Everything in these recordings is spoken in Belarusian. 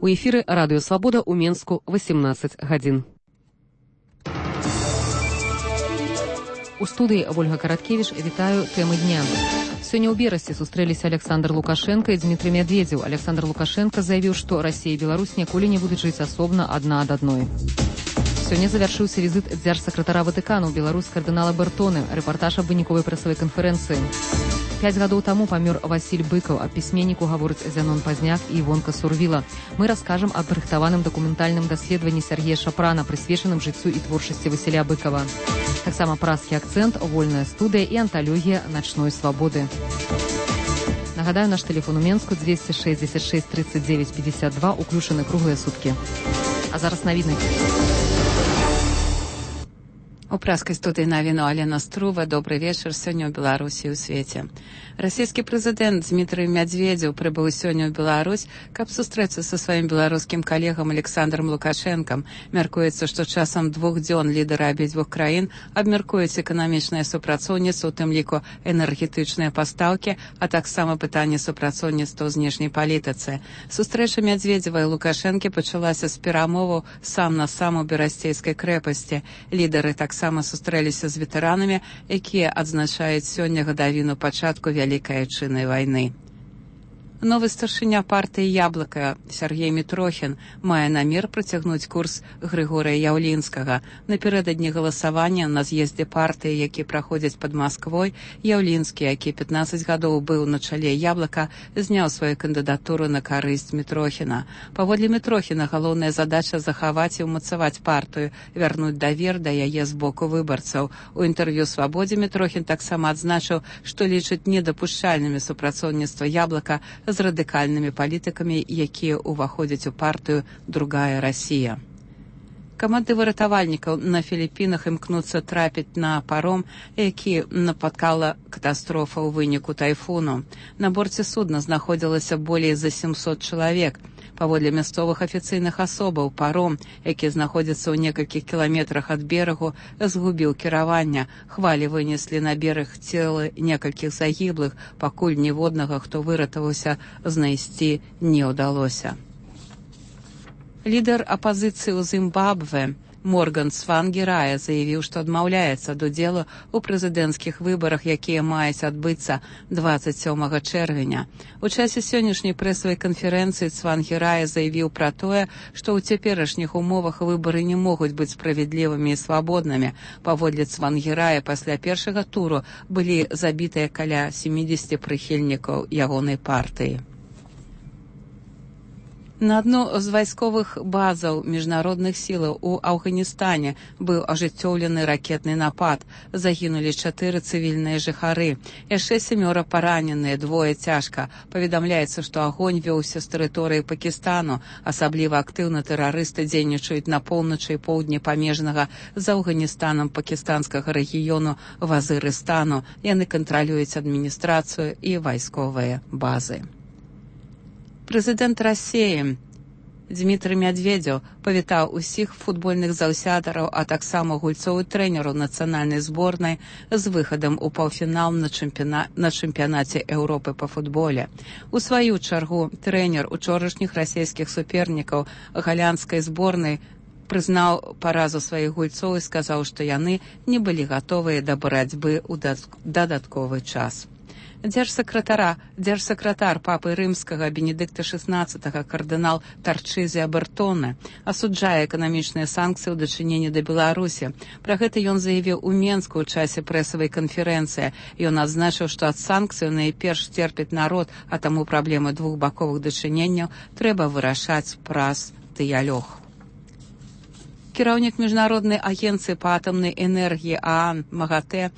У эфіры Радыё Свабода ў Менску 18 гадзін. У студыі Ольга Караткевіч, вітаю, тэмы дня. Сёння ў Берасці сустрэліся Александр Лукашенко і Дмітрый Медведзеў. Александр Лукашенко заявіў, што Расія і Беларусь ніколі не будуць жыць асобна адна ад адной. Сёння завяршыўся візіт дзяржсакратара Ватыкану ў Беларусь кардынала Бертоны. Рэпартаж аб выніковай прэсавай канферэнцыі. 5 гадоў таму памёр Васіль Быкаў, аб пісьменніку гаворыць Зянон Пазняк і Івонка Сурвіла. Мы раскажам аб рыхтаваным дакументальным даследаванні Сергея Шапрана, прысвечаным жыццю і творчасці Васіля Быкава. Таксама празкі акцэнт, вольная студыя і анталогія начной свабоды. Нагадаю, наш тэлефон у Менску 266 39 52, уключаны круглыя суткі. А зараз навіны. У праскай студыі навіну Алена Струва. Добры вечар. Сёння ў Беларусі і ў свеце. Расійскі прэзідэнт Дмітрый Медведзеў прыбыў сёння ў Беларусь, каб сустрэцца са сваім беларускім калегам Александром Лукашэнкам. Мяркуецца, што часам 2 дзён лідары абедзвюх краін абмяркуюць эканамічнае супрацоўніцтва, у тым ліку энергетычныя пастаўкі, а таксама пытанне супрацоўніцтва ў знешняй палітыцы. Сустрэча Медведзева і Лукашэнкі пачалася з перамоваў сам на сам у Берасцейскай крэпасці. Лідары таксама сустрэліся з ветэранамі, якія адзначаюць сёння гадавіну пачатку Вялікай Айчыннай вайны. Новы старшыня партыі «Яблыка» Сергей Мітрохін мае намер працягнуць курс Грыгорыя Яўлінскага. Напярэдадні галасавання на з'ездзе партыі, які праходзіць пад Масквой, Яўлінскі, які 15 гадоў быў на чале «Яблыка», зняў сваю кандыдатуру на карысць Мітрохіна. Паводле Мітрохіна галоўная задача захаваць і ўмацаваць партыю, вярнуць давер да яе з боку выбарцаў. У інтэрв'ю «Свабодзе» Мітрохін таксама адзначыў, што лічыць недапушчальнымі супрацоўніцтва «Яблыка» з радыкальнымі палітыкамі, якія ўваходзяць у партыю «Другая Расія». Каманды выратавальнікаў на Філіпінах імкнуцца трапіць на паром, які напаткала катастрофа ў выніку тайфуну. На борце судна знаходзілася болей за 700 чалавек. Паводле мясцовых афіцыйных асобаў, паром, які знаходзіцца ў некалькіх кіламетрах ад берагу, згубіў кіраванне. Хвалі вынеслі на бераг целы некалькіх загіблых, пакуль ніводнага, хто выратаваўся, знайсці не ўдалося. Лідар апазіцыі ў Зімбабве Морган Цвангірая заявіў, што адмаўляецца ад удзелу ў прэзідэнцкіх выбарах, якія маюць адбыцца 27 чэрвеня. У часе сённяшняй прэсавай канферэнцыі Цвангірая заявіў пра тое, што ў цяперашніх умовах выбары не могуць быць справядлівымі і свабоднымі. Паводле Цвангірая, пасля першага туру былі забітыя каля 70 прыхільнікаў ягонай партыі. На адну з вайсковых базаў міжнародных сілаў у Афганістане быў ажыццёўлены ракетны напад. Загінулі 4 цывільныя жыхары. Яшчэ 7 параненыя, 2 цяжка. Паведамляецца, што агонь вёўся з тэрыторыі Пакістану. Асабліва актыўна тэрарысты дзейнічаюць на поўначы і поўдні памежнага з Афганістанам пакістанскага рэгіёну Вазырыстану. Яны кантралююць адміністрацыю і вайсковыя базы. Прэзідэнт Расіі Дмітрый Медведзеў павітаў усіх футбольных заўсятараў, а таксама гульцоў і трэнераў нацыянальнай зборнай з выхадам у паўфінал на чэмпіянаце Еўропы па футболе. У сваю чаргу трэнер учорашніх расійскіх супернікаў галандскай зборнай прызнаў паразу сваіх гульцоў і сказаў, што яны не былі гатовыя да барацьбы ў дадатковы час. Дзяржсакратар папы рымскага Бенедыкта XVI кардынал Тарчызія Бертоне асуджае эканамічныя санкцыі ў дачыненні да Беларусі. Пра гэта ён заявіў у Менску ў часе прэсавай канферэнцыі. Ён адзначыў, што ад санкцыяў найперш церпіць народ, а таму праблемы двухбаковых дачыненняў трэба вырашаць праз дыялог. Кіраўнік міжнароднай агенцыі па атамнай энергіі ААН МАГАТЭ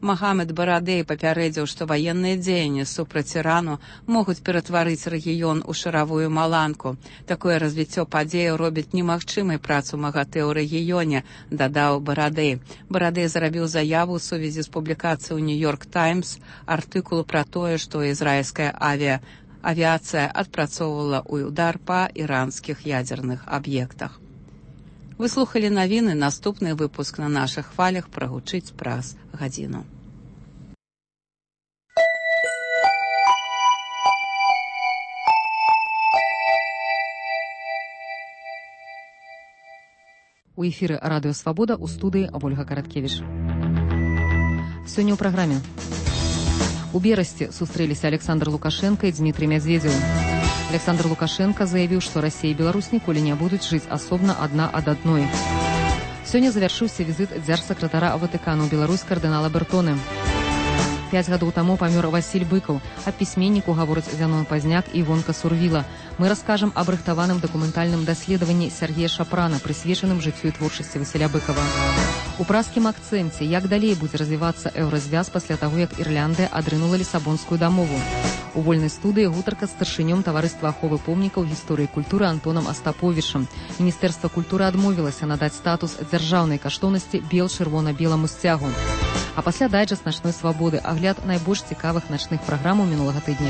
Магамед Барадэй папярэдзіў, што ваенныя дзеянні супраць Ірану могуць ператварыць рэгіён у шаравую маланку. Такое развіццё падзеяў робіць немагчымай працу МАГАТЭ ў рэгіёне, дадаў Барадэй. Барадэй зрабіў заяву ў сувязі з публікацыяй у «Нью-Йорк Таймс» артыкулу пра тое, што ізраільская авіяцыя адпрацоўвала ўдар па іранскіх ядзерных аб'ектах. Вы слухалі навіны, наступны выпуск на нашых хвалях прагучыць праз гадзіну. У эфіры радыё «Свабода», у студыі Ольга Караткевіч. Сёння ў праграме. У Берасці сустрэліся Александр Лукашенко і Дмітрий Медведзеў. Александр Лукашенко заявіў, што Расія і Беларусь ніколі не будуць жыць асобна адна ад адной. Сёння завяршыўся візіт дзяржсакратара Ватыкану ў Беларусь кардынала Бертоны. 5 гадоў таму памёр Васіль Быкаў, а пісьменніку гаворыць Зянон Пазняк і Івонка Сурвіла. Мы раскажам аб рыхтаваным дакументальным даследаванні Сергея Шапрана, прысвечаным жыццю і творчасці Васіля Быкава. У празкім акцэнце, як далей будзе развівацца еўразвяз пасля таго, як Ірландыя адрынула Лісабонскую дамову. У вольнай студыі гутарка з старшынём таварыства аховы помнікаў гісторыі культуры Антонам Астаповічам. Міністэрства культуры адмовілася надаць статус дзяржаўнай каштоўнасці бел-чырвона-беламу сцягу. А пасля дайджэст начной свабоды, агляд найбольш цікавых начных праграмаў мінулага тыдня.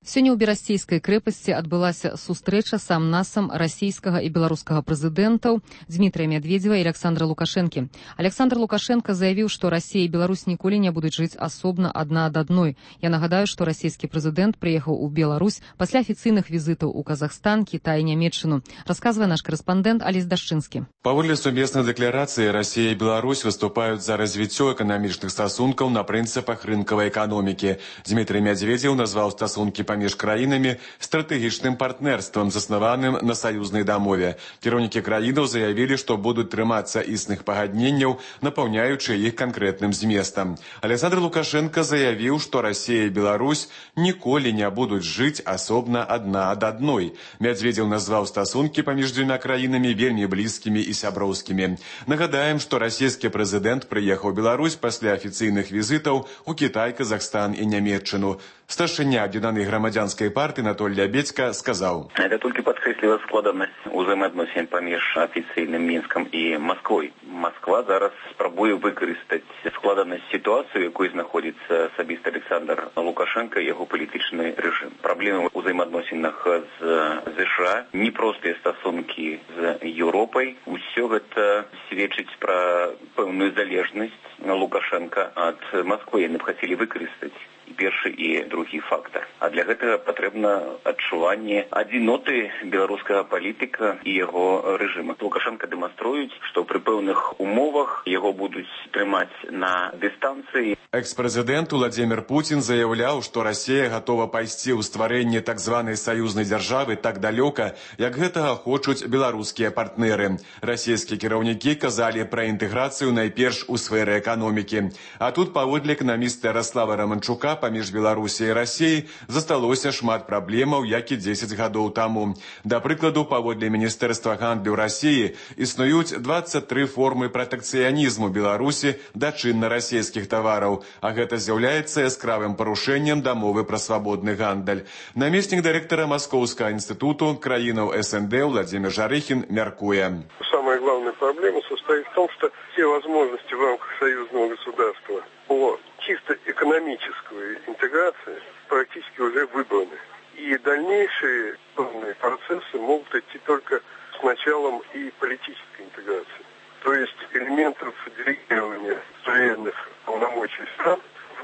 Сёння ў Берасцейскай крэпасці адбылася сустрэча сам-насам расійскага і беларускага прэзідэнтаў Дмітрия Медведзева і Александра Лукашэнкі. Александр Лукашенко заявіў, што Расія і Беларусь ніколі не будуць жыць асобна адна ад адной. Я нагадаю, што расійскі прэзідэнт прыехаў у Беларусь пасля афіцыйных візітаў у Казахстан, Кітай і Нямецчыну. Расказвае наш карэспандэнт Алесь Дашчынскі. Паводле сумеснай дэкларацыі, Расія і Беларусь выступаюць за развіццё эканамічных стасункаў на прынцыпах рынкавай эканомікі. Дмітрий Медведзеў назваў стасункі паміж краінамі стратэгічным партнерствам, заснаваным на саюзнай дамове. Кіраўнікі краінаў заявілі, што будуць трымацца існых пагадненняў, напаўняючы іх канкрэтным зместам. Александр Лукашенко заявіў, што Расія і Беларусь ніколі не будуць жыць асобна адна ад адной. Медведзеў назваў стасункі паміж дзвюма краінамі вельмі блізкімі і сяброўскімі. Нагадаем, што расійскі прэзідэнт прыехаў у Беларусь пасля афіцыйных візітаў у Кітай, Казахстан і Нямецчыну. Старшыня аб'яднанай грамадзянскай партыі Анатолій Лябедзька сказаў: «Это толькі падкрэсліла складанасць узаемаадносін паміж афіцыйным Мінскам і Масквой. Масква зараз спрабуе выкарыстаць складанасць сітуацыю, якой знаходзіцца асабіста Александр Лукашенко і яго палітычны рэжым. Праблемы ў узаемаадносінах з ЗША, непростыя стасункі з Еўропай. Усё гэта сведчыць пра пэўную залежнасць Лукашенка ад Масквы. Яны б хацелі выкарыстаць і першы і другі фактор. А для гэтага патрэбна адчуванне адзіноты беларускага палітыка і яго рэжыма. Лукашенко дэманструюць, што пры пэўных умовах яго будуць трымаць на дыстанцыі. Экс-прэзідэнт Владзімір Пуцін заяўляў, што Расія гатова пайсці ў стварэнне так званай саюзнай дзяржавы так далёка, як гэтага хочуць беларускія партнеры. Расійскія кіраўнікі казалі пра інтэграцыю найперш у сферы эканомікі. А тут, паводле эканаміста Ярослава Раманчука, паміж Беларусі і Расіяй засталося шмат праблемаў, як і 10 гадоў таму. Да прыкладу, паводле Міністэрства гандлю Расіі існуюць 23 формы пратэкцыянізму Беларусі да чынна-расійскіх тавараў, а гэта з'яўляецца яскравым парушэннем дамовы пра свабодны гандаль. Намеснік дырэктара Маскоўскага інстытуту краінаў СНД Владимир Жарыхін мяркуе. Самая главная проблема состоит в том, что все возможности в рамках союзного государства по чисто экономической интеграции практически уже выбраны. И дальнейшие процессы могут идти только с началом и политической интеграции. То есть элементов делегирования суверенных полномочий стран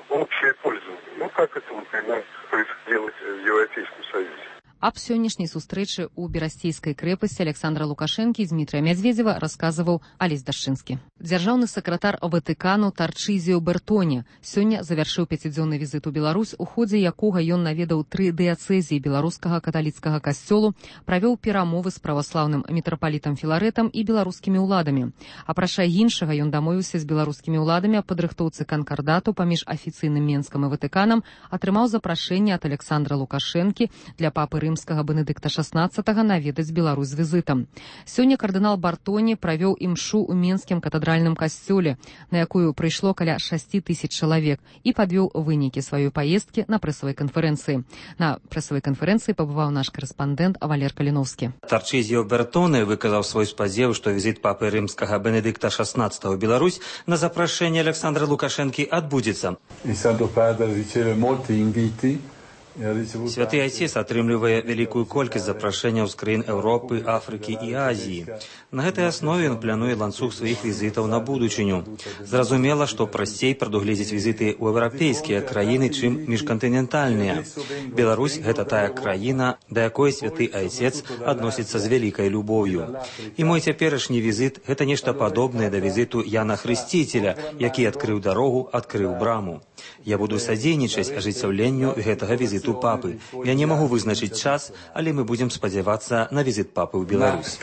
в общее пользование. Ну, как это, например, происходило в Европейском Союзе. Аб сённяшняй сустрэчы ў Берасцейскай крэпасці Александра Лукашэнкі і Дмітрия Медведзева расказваў Алесь Дашчынскі. Дзяржаўны сакратар Ватыкану Тарчызіо Бертоне сёння завяршыў 5-дзённы візіт у Беларусь, у ходзе якога ён наведаў 3 дыяцэзіі беларускага каталіцкага касцёлу, правёў перамовы з праваслаўным мітрапалітам Філарэтам і беларускімі ўладамі. Апрача іншага, ён дамовіўся з беларускімі ўладамі аб падрыхтоўцы канкардату паміж афіцыйным Менскам і Ватыканам, атрымаў запрашэнне ад Александра Лукашэнкі для папы рымскага Бенедыкта XVI наведаць Беларусь з візітам. Сёння кардынал Бартоне правёў імшу ў Менскім катедральным касцёле, на якую прыйшло каля 6 000 чалавек, і падвёў вынікі сваёй паездкі на прэсавай канферэнцыі. На прэсавай канферэнцыі пабываў наш карэспандэнт Валер Каліновскі. Тарчызіо Бертоне выказаў свой спадзеў, што візіт папы рымскага Бенедыкта XVI ў Беларусь на запрашэнне Александра Лукашэнкі адбудзецца. È stato padre, riceve molti inviti Святы Айцец атрымлівае вялікую колькасць запрашэнняў з краін Еўропы, Афрыкі і Азіі. На гэтай аснове ён плануе ланцуг сваіх візітаў на будучыню. Зразумела, што прасцей прадугледзець візіты ў еўрапейскія краіны, чым міжкантынентальныя. Беларусь – гэта тая краіна, да якой святы Айцец адносіцца з вялікай любоўю. І мой цяперашні візіт – гэта нешта падобнае да візіту Яна Хрысціцеля, які адкрыў дарогу, адкрыў браму. Я буду садзейнічаць ажыццяўленню гэтага візіту папы. Я не магу вызначыць час, але мы будзем спадзявацца на візіт папы ў Беларусь.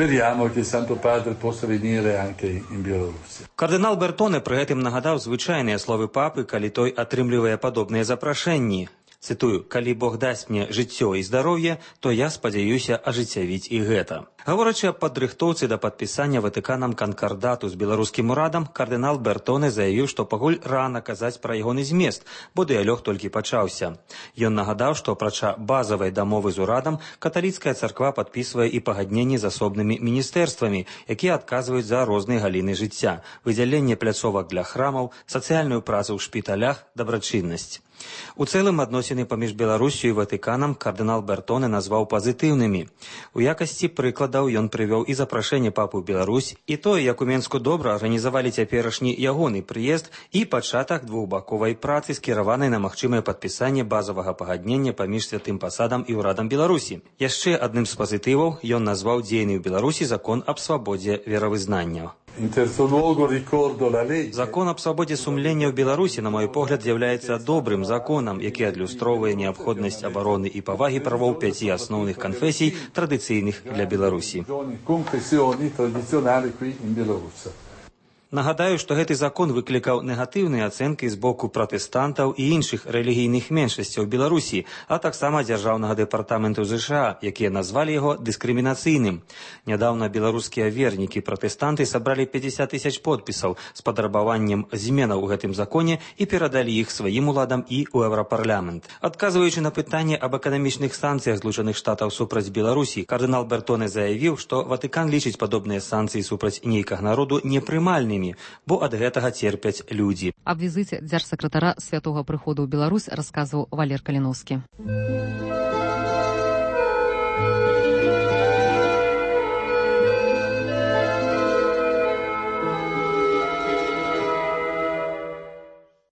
Кардынал Бертоне пры гэтым нагадаў звычайныя словы папы, калі той атрымлівае падобныя запрашэнні. Цытую, «Калі Бог дасць мне жыццё і здароўе, то я спадзяюся ажыццявіць і гэта». Гаворачы аб падрыхтоўцы да падпісання Ватыканам канкардату з беларускім урадам, кардынал Бертоне заявіў, што пакуль рана казаць пра ягоны змест, бо дыялог толькі пачаўся. Ён нагадаў, што апрача базавай дамовы з урадам, каталіцкая царква падпісвае і пагадненні з асобнымі міністэрствамі, якія адказваюць за розныя галіны жыцця, выдзяленне пляцовак для храмаў, сацыяльную працу ў шпіталях, дабрачыннасць. У цэлым адносіны паміж Беларусю і Ватыканам кардынал Бертоне назваў пазітыўнымі. У якасці прыкладаў ён прывёў і запрашэнне папы ў Беларусь, і тое, як у Менску добра арганізавалі цяперашні ягоны прыезд і пачатак двухбаковай працы, скіраванай на магчымае падпісанне базавага пагаднення паміж святым пасадам і ўрадам Беларусі. Яшчэ адным з пазітываў ён назваў дзейны ў Беларусі закон аб свабодзе веравызнання. Закон аб свабодзе сумлення ў Беларусі, на мой погляд, з'яўляецца добрым законам, які адлюстроўвае неабходнасць абароны і павагі правоў 5 асноўных канфесій, традыцыйных для Беларусі. Нагадаю, што гэты закон выклікаў негатыўныя ацэнкі з боку пратэстантаў і іншых рэлігійных меншасцяў Беларусі, а таксама дзяржаўнага дэпартаменту ЗША, якія назвалі яго дыскрымінацыйным. Нядаўна беларускія вернікі пратэстанты сабралі 50 000 подпісаў з падрабаваннем зменаў у гэтым законе і перадалі іх сваім уладам і ў Еўрапарламент. Адказваючы на пытанне аб эканамічных санкцыях Злучаных Штатаў супраць Беларусі, кардынал Бертоне заявіў, што Ватыкан лічыць падобныя санкцыі супраць нейкага народу непрымальнымі, бо ад гэтага церпяць людзі. Аб візіце дзяржсакратара святога прыходу ў Беларусь расказваў Валер Каліновскі.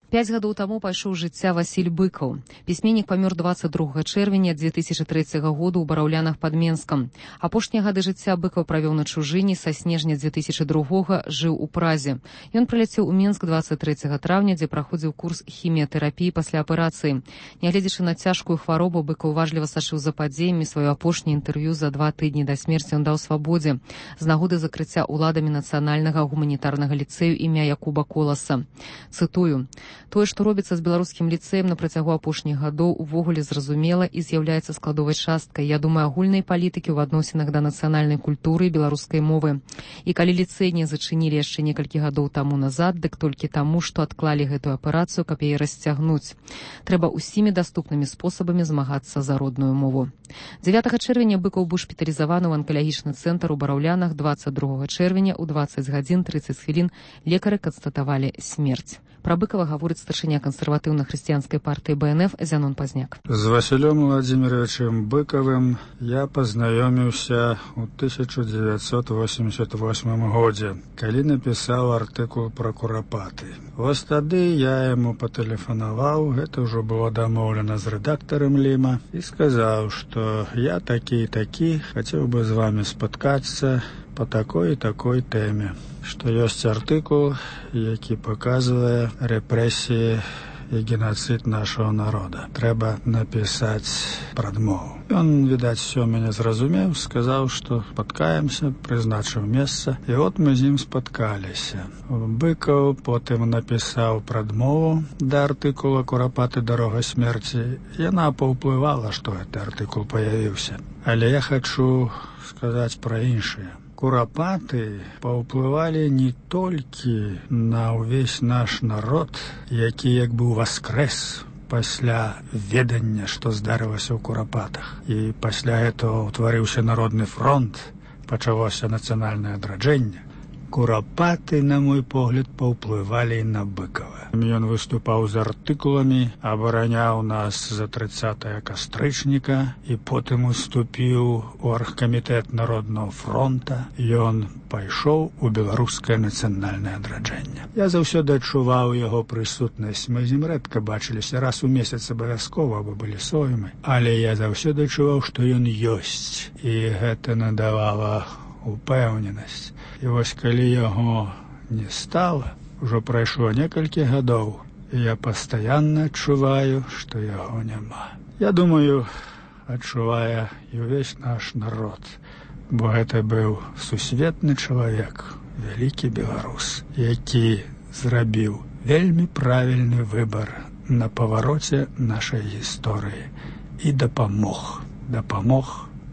Пяць гадоў таму пайшоў жыцця Васіль Быкаў. Пісьменнік памёр 22 чэрвеня 2003 году ў Бараўлянах пад Менскам. Апошнія гады жыцця Быкаў правёў на чужыне, са снежня 2002 жыў у Празе. Ён прыляцеў у Менск 23 траўня, дзе праходзіў курс хіміятэрапіі пасля аперацыі. Нягледзячы на цяжкую хваробу, Быкаў уважліва сачыў за падзеямі. Сваё апошняе інтэрв'ю за 2 тыдні да смерці ён даў свабодзе з нагоды закрыцця ўладамі нацыянальнага гуманітарнага ліцэю імя Якуба Коласа. Цытую: «Тое, што робіцца з беларускім ліцэем на працягу апошніх гадоў, увогуле зразумела і з'яўляецца складовай часткай, я думаю, агульнай палітыкі ў адносінах да нацыянальнай культуры і беларускай мовы. І калі ліцэй не зачынілі яшчэ некалькі гадоў таму назад, дык толькі таму, што адклалі гэтую аперацыю, каб яе расцягнуць. Трэба ўсімі даступнымі спосабамі змагацца за родную мову». 9 чэрвеня Быкаў быў шпіталізаваны ў анкалагічны цэнтр у Бараўлянах. 22 чэрвеня ў 20 гадзін 30 хвілін лекары канстатавалі смерць. Пра Быкава гаворыць старшыня кансерватыўна-хрысціянскай партыі БНФ Зянон Пазняк. З Васілём Владзіміровичем Быкавым я пазнаёміўся ў 1988 годзе, калі напісаў артыкул пра курапаты. Вось тады я яму патэлефанаваў, гэта ўжо было дамоўлена з рэдактарам Ліма, і сказаў, што я такі і такі, хацеў бы з вамі спаткацца по такой і такой тэме, што ёсць артыкул, які паказвае рэпрэсіі і геноцид нашого народа. Трэба напісаць прадмову. Ён, відаць, все мяне зразумеў, сказаў, што спаткаемся, прызначыў месца, і от мы з ім спаткаліся. Быкаў потым напісаў прадмову да артыкула «Курапаты. Дарога смерці». Яна паўплывала, што гэты артыкул паявіўся. Але я хачу сказаць пра іншае. Курапаты паўплывалі не толькі на ўвесь наш народ, які як бы ўваскрэс пасля ведання, што здарылася ў курапатах. І пасля гэтага ўтварыўся народны фронт, пачалося нацыянальнае адраджэнне. Курапаты, на мой погляд, паўплывалі і на Быкова. Ён выступаў з артыкуламі, абараняў нас за 30 кастрычніка і потым уступіў у аргкамітэт Народнага фронта. Ён пайшоў у беларускае нацыянальнае адраджэнне. Я заўсёды адчуваў яго прысутнасць. Мы з ім рэдка бачыліся, раз у месяц абавязкова, бо былі соймы. Але я заўсёды адчуваў, што ён ёсць. І гэта надавала упэўненасць. І вось калі яго не стала, ужо прайшло некалькі гадоў, і я пастаянна адчуваю, што яго няма. Я думаю, адчувае і ўвесь наш народ, бо гэта быў сусветны чалавек, вялікі беларус, які зрабіў вельмі правільны выбар на павароце нашай гісторыі і дапамог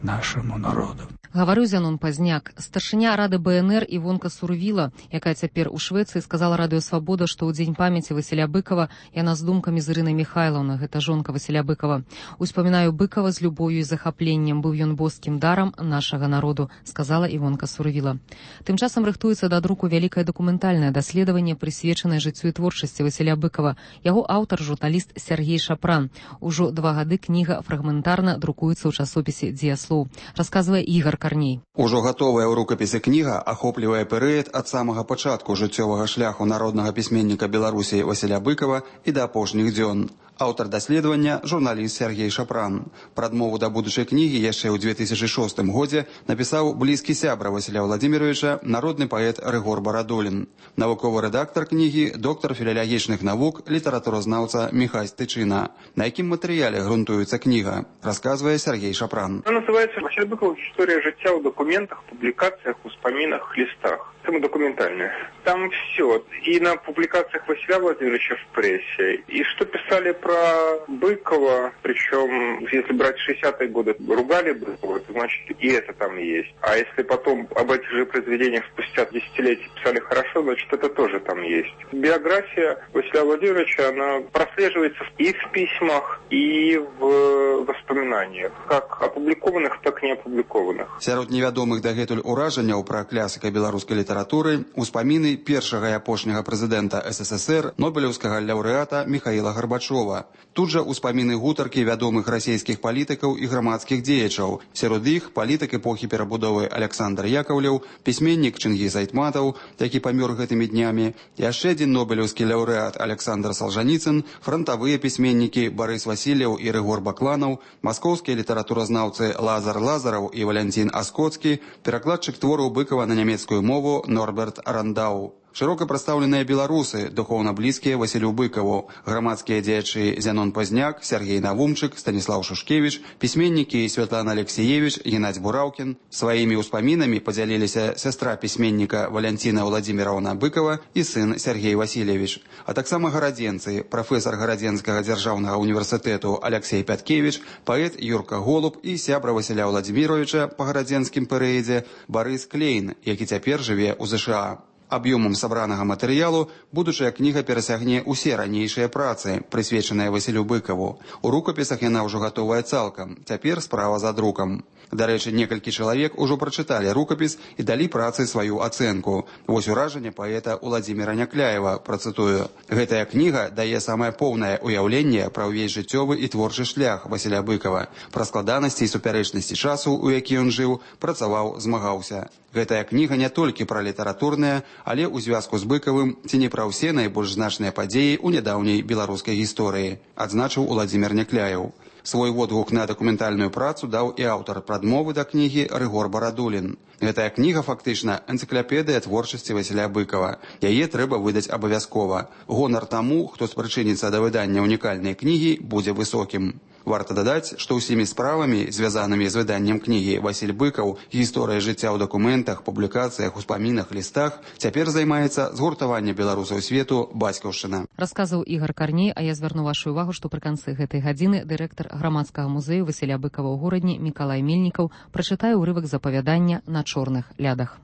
нашаму народу. Гаварыў Зянон Пазняк. Старшыня Рады БНР Івонка Сурвіла, якая цяпер у Швецыі, сказала Радыё Свабода, што ў дзень памяці Васіля Быкова яна з думкамі з Ірынай Міхайлаўнай, гэта жонка Васіля Быкова. Успамінаю Быкова з любоўю і захапленнем, быў ён боскім дарам нашага народу, сказала Івонка Сурвіла. Тым часам рыхтуецца да друку вялікае дакументальнае даследаванне, прысвечанае жыццю і творчасці Васіля Быкова. Яго аўтар журналіст Сергей Шапран. Ужо 2 гады кніга фрагментарна друкуецца ў часопісе «Дзеяслоў», расказвае Ігар Карней. Ужо гатовая ў рукапісе кніга ахоплівае перыяд ад самага пачатку жыццёвага шляху народнага пісьменніка Беларусі Васіля Быкова і да апошніх дзён. Аўтар даследавання – журналіст Сергей Шапран. Прадмову да будучай кнігі яшчэ ў 2006 годзе напісаў блізкі сябра Васіля Владзіміровича, народны паэт Рыгор Барадулін. Навуковы рэдактар кнігі – доктар філалагічных навук, літаратуразнаўца Міхась Тычына. На якім матэрыяле грунтуецца кніга, расказвае Сергей Шапран. Она называется «Василь Быков. История життя в документах, публикациях, успоминах, листах». Тема документальная. Там все. И на публикациях Василия Владимировича в прессе. И что писали про Быкова, причем, если брать 60-е годы, ругали Быкова, то значит и это там есть. А если потом об этих же произведениях спустя десятилетия писали хорошо, значит это тоже там есть. Биография Василия Владимировича, она прослеживается и в письмах, и в воспоминаниях. Как опубликованных, так и не опубликованных. Сярод невядомых дагэтуль уражанняў пра класіка беларускай літаратуры успаміны першага і апошняга прэзідэнта СССР, нобелеўскага лаўрэата Міхаіла Гарбачова. Тут жа успаміны гутаркі вядомых расійскіх палітыкаў і грамадскіх дзеячаў. Сярод іх палітык эпохі перабудовы Александр Яковлеў, пісьменнік Чынгіз Айтматаў, які памёр гэтымі днямі, яшчэ адзін нобелеўскі лаўрэат Александр Солжаніцын, фронтавыя пісьменнікі Барыс Васильев і Рыгор Бакланаў, маскоўскія літаратуразнаўцы Лазар Лазараў і Валянцін Аскоцкі, перакладчык твораў Быкова на нямецкую мову Норберт Рандау. Шырока прадстаўленыя беларусы, духоўна блізкія Васілю Быкаву, грамадскія дзеячы Зянон Пазняк, Сергей Навумчык, Станіслаў Шушкевіч, пісьменнікі Святлана Алексеевич, Геннадзь Бураўкін. Сваімі ўспамінамі падзяліліся сястра пісьменніка Валянціна Владзіміраўна Быкова і сын Сергей Васильевич. А таксама гарадзенцы, прафесар Гарадзенскага дзяржаўнага універсітэту Алексей Пяткевич, паэт Юрка Голуб і сябра Васіля Владзіміровича па гарадзенскім перыядзе Барыс Клейн, які цяпер жыве ў ЗША. Аб'ёмам сабранага матэрыялу будучая кніга перасягне ўсе ранейшыя працы, прысвечаныя Васілю Быкаву. У рукапісах яна ўжо гатовая цалкам, цяпер справа за друкам. Дарэчы, некалькі чалавек ужо прачыталі рукапіс і далі працы сваю ацэнку. Вось уражанне паэта Уладзіміра Някляева, працытую. Гэтая кніга дае самае поўнае ўяўленне пра ўвесь жыццёвы і творчы шлях Васіля Быкава, пра складанасці і супярэчнасці часу, у які ён жыў, працаваў, змагаўся. Гэтая кніга не толькі пра літаратурныя, але ў звязку з Быкавым ці не пра ўсе найбольш значныя падзеі ў нядаўняй беларускай гісторыі, адзначыў Уладзімір Някляеў. Свой водгук на дакументальную працу даў і аўтар прадмовы да кнігі Рыгор Барадулін. Гэтая кніга фактычна энцыклапедыя творчасці Васіля Быкава. Яе трэба выдаць абавязкова. Гонар таму, хто спрычыніцца да выдання унікальнай кнігі, будзе высокім. Варта дадаць, што ўсімі справамі, звязанымі з выданнем кнігі Васіль Быкаў, гісторыя жыцця ў дакументах, публікацыях, успамінах, лістах, цяпер займаецца згуртаванне беларусаў свету бацькаўшчына. Расказаў Ігар Карней, а я звярну вашу ўвагу, што пры канцы гэтай гадзіны дырэктар грамадскага музею Васіля Быкава ў горадні Мікалай Мельнікаў прачытае ўрывак з апавядання «На чорных лядах».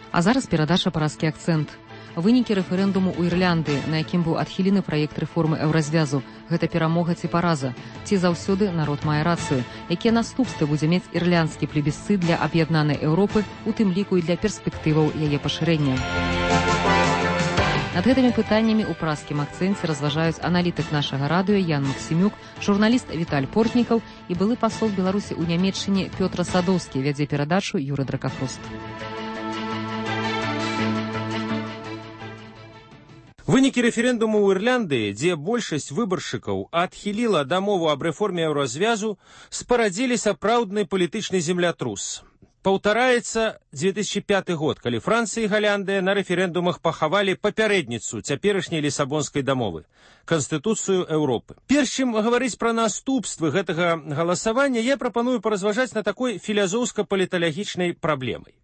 А зараз перадача «Параскі акцэнт». Вынікі рэферэндуму ў Ірландыі, на якім быў адхілены праект рэформы еўразвязу. Гэта перамога ці параза? Ці заўсёды народ мае рацыю? Якія наступствы будзе мець ірландскі плебісцыт для аб'яднанай Еўропы, у тым ліку і для перспектываў яе пашырэння? Над гэтымі пытаннямі ў праскім акцэнце разважаюць аналітык нашага радыё Ян Максімюк, журналіст Віталь Портнікаў і былы пасол Беларусі ў Нямецчыне Пётр Садоўскі, вядзе перадачу Юры Дракафрост. Вынікі рэферэндуму ў Ірландыі, дзе большасць выбаршчыкаў адхіліла дамову аб рэформе еўразвязу, спарадзілі сапраўдны палітычны землятрус. Паўтараецца 2005 год, калі Францыя і Галляндыя на рэферэндумах пахавалі папярэдніцу цяперашняй лісабонскай дамовы – Канстытуцыю Еўропы. Перш чым гаварыць пра наступствы гэтага галасавання, я прапаную паразважаць на такой філазофска-паліталагічнай праблемай.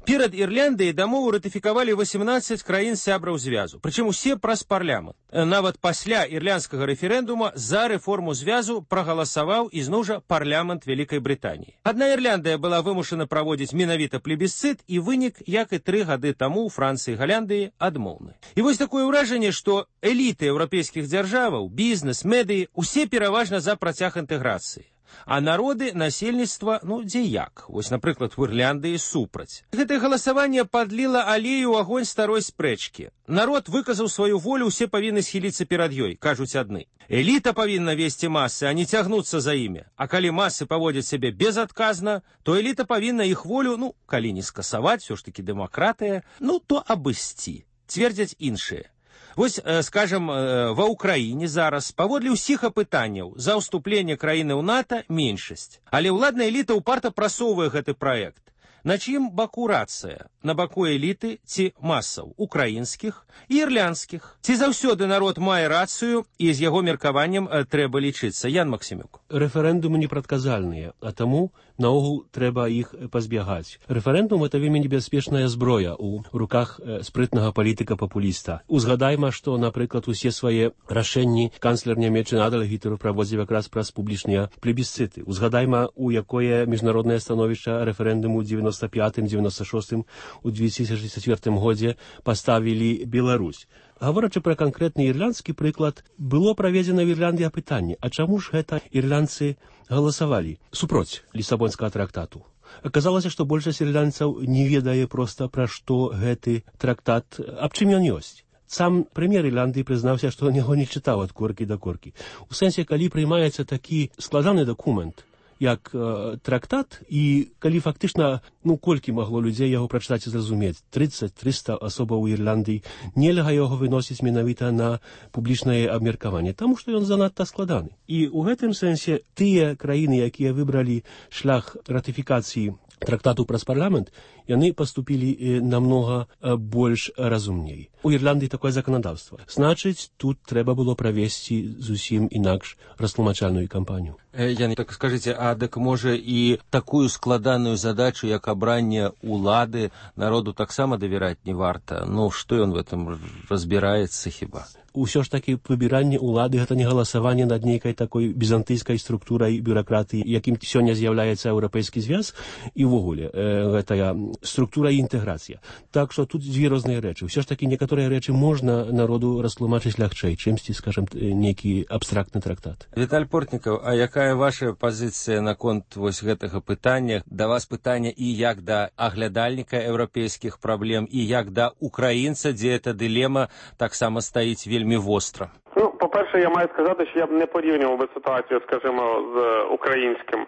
Перад Ірландыяй дамову ратыфікавалі 18 краін сябраў звязу, прычым усе праз парламент. Нават пасля ірландскага рэферэндума за рэформу звязу прагаласаваў ізноў жа парламент Вялікай Брытаніі. Адна Ірландыя была вымушана праводзіць менавіта плебісцыт, і вынік, як і 3 гады таму ў Францыі і Галляндыі, адмоўны. І вось такое ўражанне, што эліты еўрапейскіх дзяржаваў, бізнес, медыі усе пераважна за працяг інтэграцыі. А народы, насельніцтва, дзе як. Вось, напрыклад, у Ірландыі супраць. Гэтае галасаванне падліла алею ў агонь старой спрэчкі. Народ выказаў сваю волю, усе павінны схіліцца перад ёй, кажуць адны. Эліта павінна весці масы, а не цягнуцца за імі. А калі масы паводзяць сябе безадказна, то эліта павінна іх волю, калі не скасаваць, усё ж такі дэмакратыя, то абысці, цвердзяць іншыя. Вось, скажам, ва Ўкраіне зараз, паводле ўсіх апытанняў, за ўступленне краіны ў НАТО меншасць. Але ўладная эліта ўпарта прасоўвае гэты праект. На чым баку рацыя? На баку эліты ці масаў? Украінскіх і ірландскіх. Ці заўсёды народ мае рацыю, і з яго меркаваннем трэба лічыцца? Ян Максімюк. Рэферэндумы непрадказальныя, а таму наогул трэба іх пазбягаць. Рэферэндум – это вельмі небяспечная зброя ў руках спрытнага палітыка-папуліста. Узгадайма, што, напрыклад, усе свае рашэнні канцлер Нямецчыны Адольф Гітлер праводзіў якраз праз публічныя плебісцыты. Узгадайма, у якое міжнароднае становішча рэферэндуму ў 95-96 у 2004 годзе паставілі Беларусь. Гаворачы пра канкрэтны ірландскі прыклад, было праведзена в Ірландыі апытанне, а чаму ж гэта ірландцы галасавалі супроць лісабонскага трактату? Аказалася, што большасць ірландцаў не ведае проста пра што гэты трактат, аб чым ён ёсць. Сам прэм'ер Ірландыі прызнаўся, што яго не чытаў ад коркі да коркі. У сэнсе, калі прыймаецца такі складаны дакумент, як трактат, і калі фактычна, колькі магло людзей яго прачытаць і зразумець, 30-300 асобаў у Ірландыі, нельга яго выносіць менавіта на публічнае абмеркаванне, таму што ён занадта складаны. І ў гэтым сэнсе тыя краіны, якія выбралі шлях ратыфікацыі трактату праз парламент, яны паступілі намнога больш разумней. У Ірландыі такое заканадаўства. Значыць, тут трэба было правесці зусім інакш растлумачальную кампанію. Ян, так скажыце, а дык можа і такую складаную задачу, як абранне улады, народу таксама давяраць не варта? Што ён в этом разбіраецца хіба? Усё ж такі выбіранне ўлады – гэта не галасаванне над нейкай такой бізантыйскай структурай бюракратыі, якім сёння з'яўляецца Еўрапейскі звяз, і ўвогуле гэтая структура і інтэграцыя. Так што тут дзве розныя рэчы. Усё ж такі некаторыя рэчы можна народу растлумачыць лягчэй, чымсьці, скажам, нейкі абстрактны трактат. Віталь Портнікаў, а якая ваша пазіцыя наконт вось гэтага пытання? Да вас пытанне і як да аглядальніка еўрапейскіх праблем, і як да украінца, дзе эта дылема таксама стаіць вельмі востра. По-перше, я маю сказати, що я б не порівнював би ситуацію, скажімо, з українським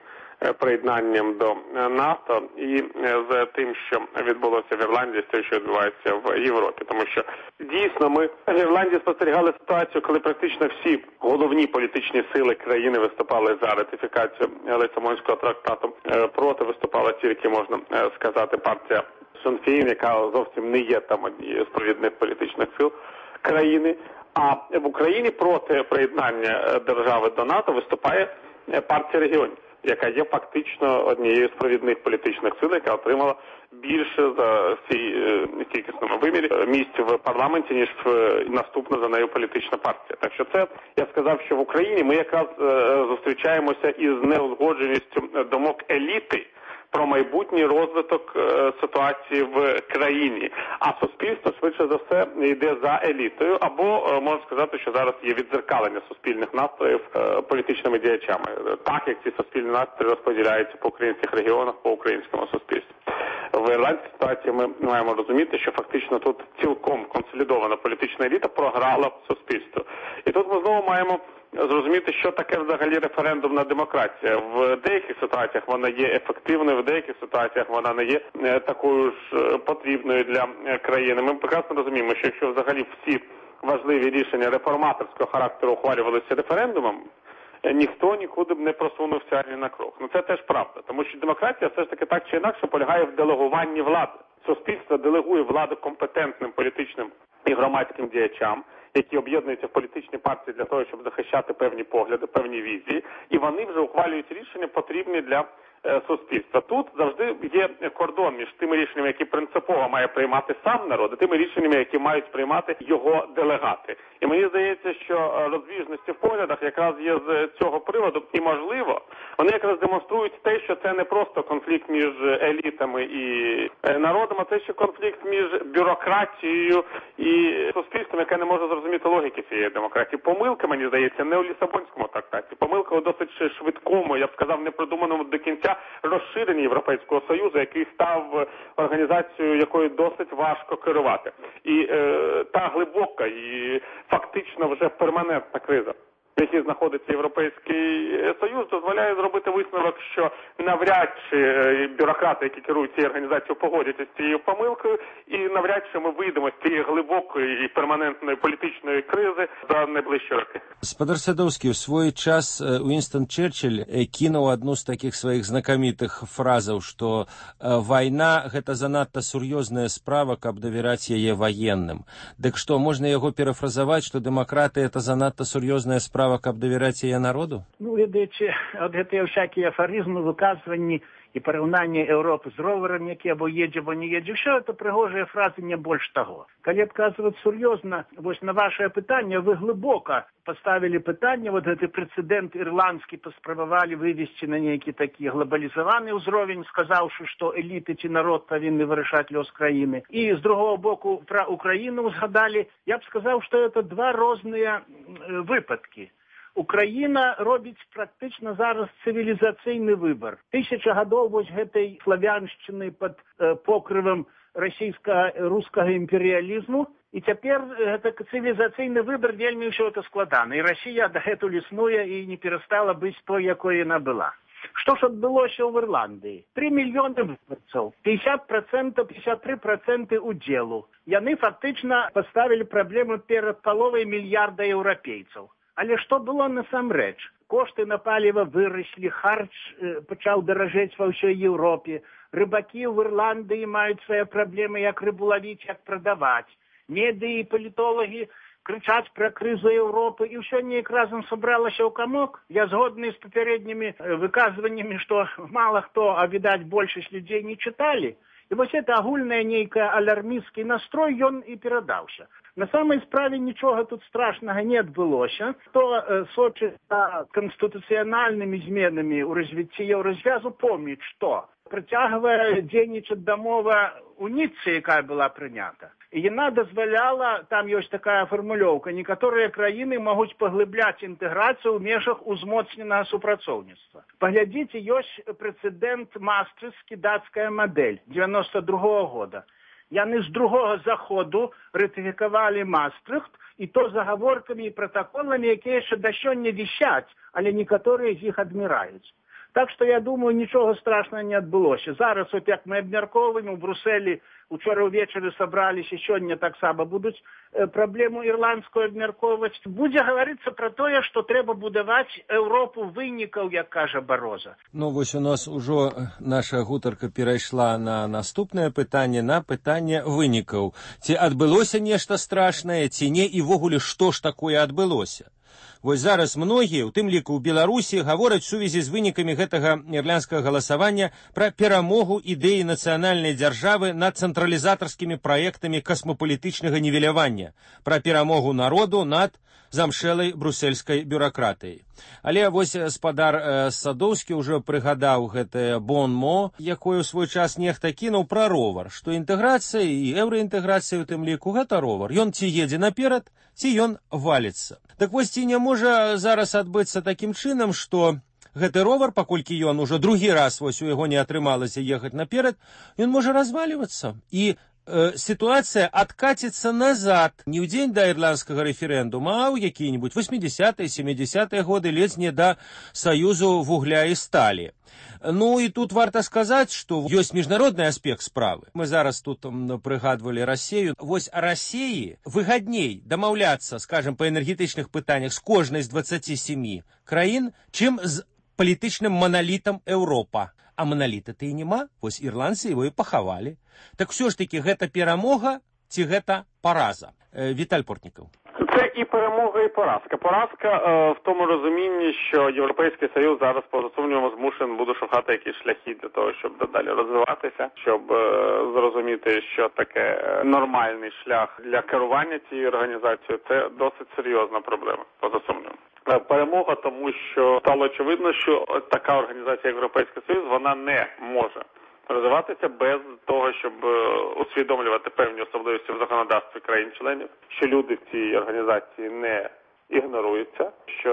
приєднанням до НАТО і з тим, що відбулося в Ірландії, з тим, що відбувається в Європі. Тому що дійсно ми в Ірландії спостерігали ситуацію, коли практично всі головні політичні сили країни виступали за ратифікацію Лісабонського трактату. Проти виступала тільки, можна сказати, партія Сін Фейн, яка зовсім не є там однією з провідних політичних сил країни. А в Україні проти приєднання держави до НАТО виступає партія регіонів, яка є фактично однією з провідних політичних сил, яка отримала більше за кількісному вимірі місць в парламенті, ніж наступна за нею політична партія. Так що це, я сказав, що в Україні ми якраз зустрічаємося із неузгодженістю думок еліти про майбутній розвиток ситуації в країні. А суспільство, швидше за все, йде за елітою, або можна сказати, що зараз є віддзеркалення суспільних настроїв політичними діячами. Так, як ці суспільні настрої розподіляються по українських регіонах, по українському суспільству. В ірландській ситуації ми маємо розуміти, що фактично тут цілком консолідована політична еліта програла суспільство. І тут ми знову маємо зрозуміти, що таке взагалі референдумна демократія. В деяких ситуаціях вона є ефективною, в деяких ситуаціях вона не є такою ж потрібною для країни. Ми прекрасно розуміємо, що якщо взагалі всі важливі рішення реформаторського характеру ухвалювалися референдумом, ніхто нікуди б не просунувся ні на крок. Ну це теж правда, тому що демократія все ж таки так чи інакше полягає в делегуванні влади. Суспільство делегує владу компетентним політичним і громадським діячам, які об'єднуються в політичні партії для того, щоб захищати певні погляди, певні візії, і вони вже ухвалюють рішення, потрібні для суспільства. Тут завжди є кордон між тими рішеннями, які принципово має приймати сам народ, і тими рішеннями, які мають приймати його делегати. І мені здається, що розбіжності в поглядах якраз є з цього приводу, і можливо, вони якраз демонструють те, що це не просто конфлікт між елітами і народом, а це ще конфлікт між бюрократією і суспільством, яке не може зрозуміти логіки цієї демократії. Помилка, мені здається, не у Лісабонському трактаті. Помилка у досить швидкому, я б сказав, непродуманому до кінця розширенні Європейського Союзу, який став організацією, якою досить важко керувати. І та глибока і фактично вже перманентна криза, в якій знаходиться Європейський Союз, дозволяє зробити висновок, що навряд чи бюрократи, які керують цією організацією, погодяться з цією помилкою, і навряд чи ми вийдемо з цієї глибокої і перманентної політичної кризи за найближчі роки. Спадар Садовський, у свой час Уинстон Черчилль кинул одну з таких своїх знакомитых фразаў, што вайна – гэта занадта сур'ёзная справа, каб давяраць яе ваенным. Дык што, можна яго перафразаваць, што дэмакраты – это занадта сур'ёзная справа, каб давяраць яе народу? Ну, ведаючи, от гэтыя всякие афоризмы, выказванні і параўнанне Европы з роварам, які або едзе, або не едзе, ўсё это прыгожыя фразы, не больш таго. Калі адказваць сур'ёзна, вось на вашае пытанне, вы глыбока поставілі пытанне, вот гэты прэцэдэнт ірландскі паспрабавалі вывесці на нейкі такі глобалізаваны ўзровень, сказаўшы, што эліты ці народ павінны вырашаць лёс краіны. І з другого боку пра Украіну узгадалі, я б сказаў, што это два розныя выпадкі. Украіна робіць практычна зараз цывілізацыйны выбар. 1000 гадоў вось гэтай славяншчыны пад покрывам расійска-рускага імперыялізму, і цяпер гэта цывілізацыйны выбар вельмі ўсё это складана. І Расія дагэтуль існуе і не перастала быць той, якой яна была. Што ж адбылося ў Ірландыі? 3 мільёны выбарцаў, 50%, 53% удзелу. Яны фактычна паставілі праблему перад паловай мільярда еўрапейцаў. Але што было насамрэч? Кошты на паліва выраслі, харч пачаў даражэць ва ўсёй Еўропе, рыбакі ў Ірландыі маюць свае праблемы, як рыбу лавіць, як прадаваць. Медыі і палітолагі крычаць пра крызу Еўропы, і ўсё неяк разам сабралася ў камок. Я згодны з папярэднімі выказваннямі, што мала хто, а відаць, большасць людзей не чыталі. І вось это агульная нейкая алярмісцкі настрой, ён і перадаўся. На самай справе нічога тут страшнага не адбылося. Хто сочыць за канстытуцыянальнымі зменамі ў развіцці еўразвязу, помніць, што працягвае дзейнічаць дамова у Ніццы, якая была прынята. І яна дазваляла, там ёсць такая фармулёўка, некаторыя краіны могуць паглыбляць інтэграцыю ў межах узмоцненага супрацоўніцтва. Паглядзіце, ёсць прэцэдэнт Маастрыхтскі, дацкая мадэль 92-го года. Яны з другога заходу ратыфікавалі Маастрыхт, і то загаворкамі і пратаколамі, якія яшчэ да сёння вісяць, але некаторыя з іх адміраюць. Так што, я думаю, нічога страшнага не адбылося. Зараз, от як мы абмяркоўваем, у Брусэлі учора ўвечары сабраліся, сёння таксама будуць праблему ірландскую абмяркоўваць. Будзе гаварыцца пра тое, што трэба будаваць Еўропу вынікаў, як кажа Бароза. Ну, вось у нас ужо наша гутарка перайшла на наступнае пытанне, на пытанне вынікаў. Ці адбылося нешта страшнае, ці не, і ввогуле, што ж такое адбылося? Вось зараз многія, у тым ліку ў Беларусі, гавораць у сувязі з вынікамі гэтага ірландскага галасавання пра перамогу ідэі нацыянальнай дзяржавы над цэнтралізатарскімі праектамі касмапалітычнага нівелявання, пра перамогу народу над замшэлай брусельскай бюракратыяй. Але вось спадар Садоўскі ўжо прыгадаў гэтае бон-мо, якое ў свой час нехта кінуў пра ровар, што інтэграцыя і еўраінтэграцыя у тым ліку гэта ровар. Ён ці едзе наперад, ці ён валіцца. Так вось ці не можа зараз адбыцца такім чынам, што гэты ровар, паколькі ён ужо другі раз вось у яго не атрымалася ехаць наперад, ён можа развалівацца. І ситуация откатится назад не ў дзень да ірландскага рэферэндума, а ў якія-нибудь 80-е, 70-е годы, ледзь не да саюзу вугля і сталі. Ну і тут варта сказаць, што ёсць міжнародны аспект справы. Мы зараз тут прыгадвалі Расею. Вось Расеі выгадней дамаўляцца, скажем, па энергетычных пытаннях з кожнай з 27 краін, чым з палітычным маналітам Еўропа. А маналіта-то і нема, вось ірландцы его і пахавалі. Так все ж таки, гэта перамога ці гэта параза? Віталь Портнікаў. Це і перемога, і поразка. Поразка в тому розумінні, що Європейський Союз зараз, поза сумнівом, змушений буде шукати якісь шляхи для того, щоб далі розвиватися, щоб зрозуміти, що таке нормальний шлях для керування цією організацією. Це досить серйозна проблема, поза сумнівом. Перемога, тому що стало очевидно, що така організація, як Європейський Союз, вона не може розвиватися без того, щоб усвідомлювати певні особливості в законодавстві країн-членів, що люди в цій організації не ігноруються, що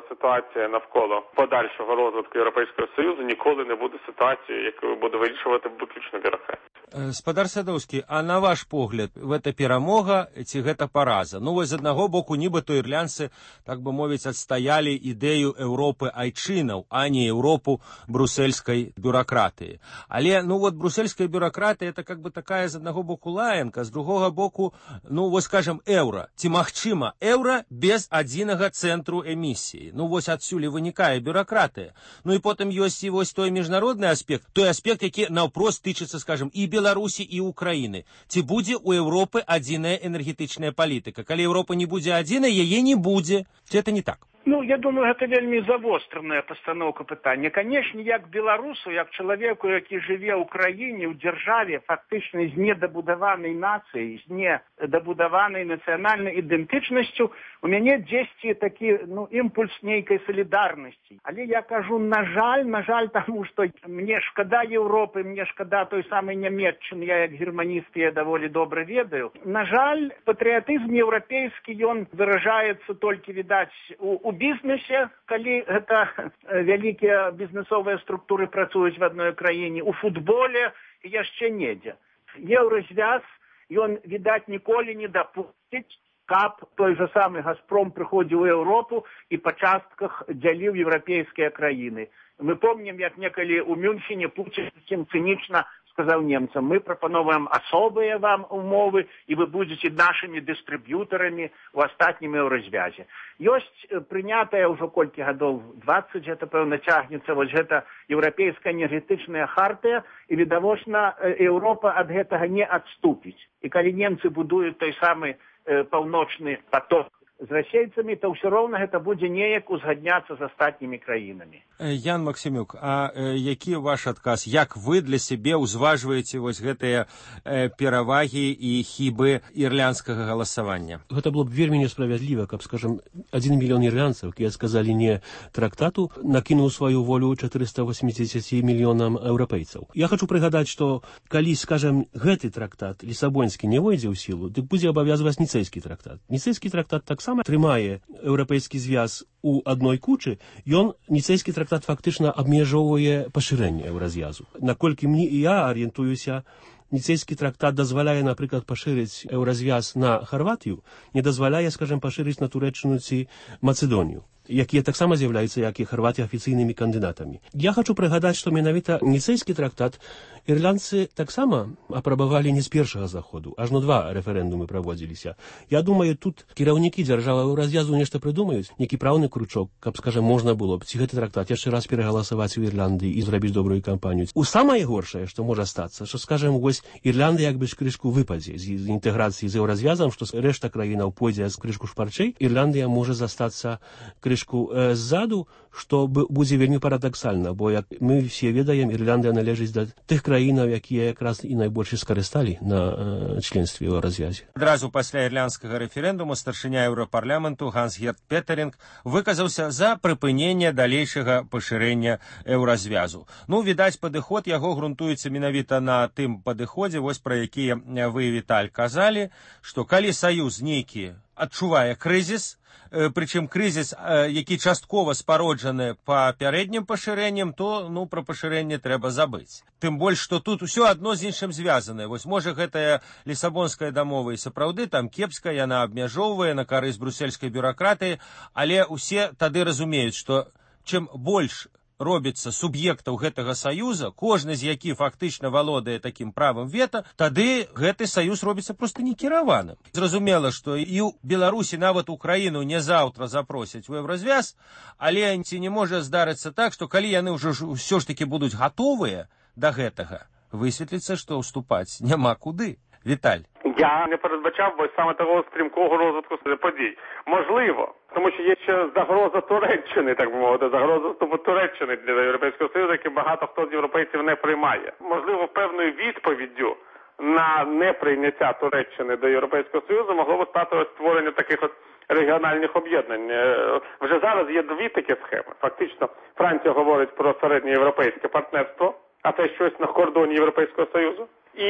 ситуація навколо подальшого розвитку Європейського Союзу ніколи не буде ситуацією, яку буде вирішувати виключно бюрократія. Спадар Садоўскі, а на ваш погляд, гэта перамога ці гэта параза? Ну, вось з аднаго боку, нібыта ірландцы, так бы мовіць, адстаялі ідэю Еўропы айчынаў, а не Еўропу брусельскай бюракратыі. Але, ну, вот брусельская бюракратыя, это как бы такая з аднаго боку лаянка, з другога боку, ну, вось, скажем, еўра. Ці магчыма еўра без адзінага цэнтру эмісіі? Ну, вось адсюль вынікае бюракратыя. Ну, і потым ёсць і вось той міжнародны аспект, той аспект, які наўпрост тычыцца, скажем, і Беларусі і Украіны. Ці будзе у Еўропы адзіная энергетычная палітыка? Калі Еўропа не будзе адзінай, яе не будзе. Ці это не так? Ну, я думаю, гэта вельмі завостраная пастаноўка пытання. Канешне, як беларусу, як чалавеку, які жыве ў краіне, ў дзяржаве, фактычна з недабудаванай нацыяй, з недабудаванай нацыянальнай ідэнтычнасцю, у мяне дзесьці такі, ну, імпульс нейкай салідарнасці. Але я кажу, на жаль, таму што мне шкада Еўропы, мне шкада той самай Нямецчыны, я як германіст я даволі добра ведаю. На жаль, патрыятызм еўрапейскі, ён выражаецца толькі, відаць, у бізнесе, калі гэта вялікія бізнесовыя структуры працуюць в адной краіне, у футболе і яшчэ недзе. Еўразвяз, ён, відаць, ніколі не дапусціць, каб той же самы «Газпром» прыходзіў у Еўропу і па частках дзяліў еўрапейскія краіны. Мы помнім, як некалі ў Мюнхене Пуцін цынічна сказаў немцам, мы прапановваем асобыя вам умовы, і вы будзеце нашымі дыстрыб'ютарамі ў астатнім еўразвязе. Ёсць прынятая ўжо колькі гадоў, 20, гэта, пэўна, цягнецца, вось гэта еўрапейская энергетычная хартыя, і, відавочна, Еўропа ад гэтага не адступіць. І калі немцы будуюць той самы паўночны поток з расейцамі, то ўсё роўна гэта будзе неяк узгадняцца з астатнімі краінамі. Ян Максімюк, а які ваш адказ? Як вы для сябе ўзважваеце вось гэтыя перавагі і хібы ірландскага галасавання? Гэта было б вельмі несправядліва, каб, скажем, 1 мільён ірландцаў, якія сказалі не трактату, накінуў сваю волю 480 мільёнам еўрапейцаў. Я хочу прыгадаць, што калі, скажем, гэты трактат лісабонскі не войдзе ў сілу, дык будзе абавязваць ніцэйскі трактат. Ніцэйскі трактат таксама трымае еўрапейскі звяз у адной кучы, ён, ніцэйскі трактат, фактычна абмежоўвае пашырэнне еўразвязу. Наколькі мне і я арыентуюся, ніцэйскі трактат дазваляе, напрыклад, пашырыць еўразвяз на Харватыю, не дазваляе, скажем, пашырыць на Турэччыну ці Мацэдонію. якія таксама з'яўляюцца, як і Харватія, афіцыйнымі кандыдатамі. Я хочу прыгадаць, што менавіта ніцэйскі трактат ірландцы таксама апрабавалі не з першага заходу, ажно 2 рэферэндумы праводзіліся. Я думаю, тут кіраўнікі дзяржавы развязу нешта прыдумаюць, нейкі праўны кручок, каб, скажем, можна было б ці гэты трактат яшчэ раз перагаласаваць у Ірландыі і зрабіць добрую кампанію. У самае горшае, што можа стацца, што, скажем, вось Ірландыя як бы з крышку выпадзе з інтэграцыі з еўразвязам, што рэшта краінаў пойдзе з крышку шпарчэй, Ірландыя можа застацца крышку ззаду, што будзе вельмі парадаксальна, бо, як мы все ведаем, Ірландыя належыць да тых краінаў, якія якраз і найбольш скарысталі на членстве ў развязе. Адразу пасля ірландскага рэферэндуму старшыня Еўрапарламенту Ганс-Герт Петеринг выказаўся за прыпыненне далейшага пашырэння еўразвязу. Ну, відаць, падыход яго грунтуецца менавіта на тым падыходзе, вось пра які вы, Віталь, казалі, што калі саюз нейкі адчувае крызіс, прычым крызіс, які часткова спароджаны папярэднім пашырэннем, то, ну, пра пашырэнне трэба забыць. Тым больш, што тут усё адно з іншым звязанае. Вось, можа, гэтая лісабонская дамова і сапраўды там кепская, яна абмяжоўвае на карысць брусельскай бюракратыі, але ўсе тады разумеюць, што чым больш робіцца суб'ектаў гэтага саюза, кожны з які фактычна валодае такім правам вета, тады гэты саюз робіцца проста некіраваным. Зразумела, што і ў Беларусі нават Украіну не заўтра запросяць у еўразвяз, але ці не можа здарыцца так, што калі яны ўсё ж такі будуць гатовыя да гэтага, высветліцца, што ўступаць няма куди. Віталь. Я не передбачав, бо саме того стрімкого розвитку подій. Можливо, тому що є ще загроза Туреччини, так би мовити, загроза вступу Туреччини для Європейського Союзу, який багато хто з європейців не приймає. Можливо, певною відповіддю на неприйняття Туреччини до Європейського Союзу могло б стати створення таких от регіональних об'єднань. Вже зараз є 2 такі схеми. Фактично, Франція говорить про середньоєвропейське партнерство, а це щось на кордоні Європейського Союзу. І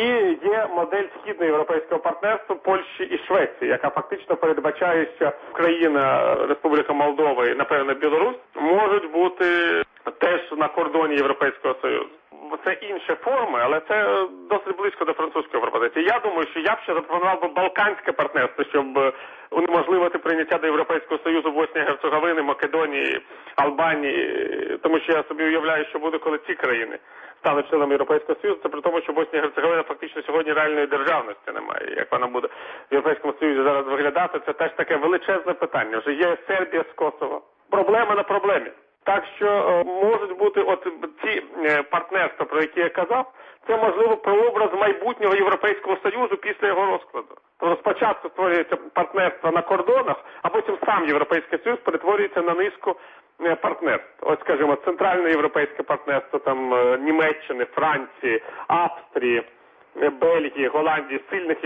є модель східноєвропейського партнерства Польщі і Швеції, яка фактично передбачає, що країна Республіка Молдова і, напевно, Білорусь можуть бути теж на кордоні Європейського Союзу. Це інші форми, але це досить близько до французької пропозиції. Я думаю, що я б ще запропонував би балканське партнерство, щоб унеможливити прийняття до Європейського Союзу Боснії, Герцеговини, Македонії, Албанії, тому що я собі уявляю, що буде, коли ці країни стануть членами Європейського Союзу, це при тому, що Боснія і Герцеговина фактично сьогодні реальної державності немає. Як вона буде в Європейському Союзі зараз виглядати, це теж таке величезне питання. Вже є Сербія з Косово. Проблема на проблемі. Так що можуть бути от ці партнерства, про які я казав, це, можливо, прообраз майбутнього Європейського Союзу після його розкладу. Тобто спочатку створюється партнерство на кордонах, а потім сам Європейський Союз перетворюється на низку партнерств. Ось, скажімо, центральне європейське партнерство там Німеччини, Франції, Австрії, Бельгії, Голландії, сильних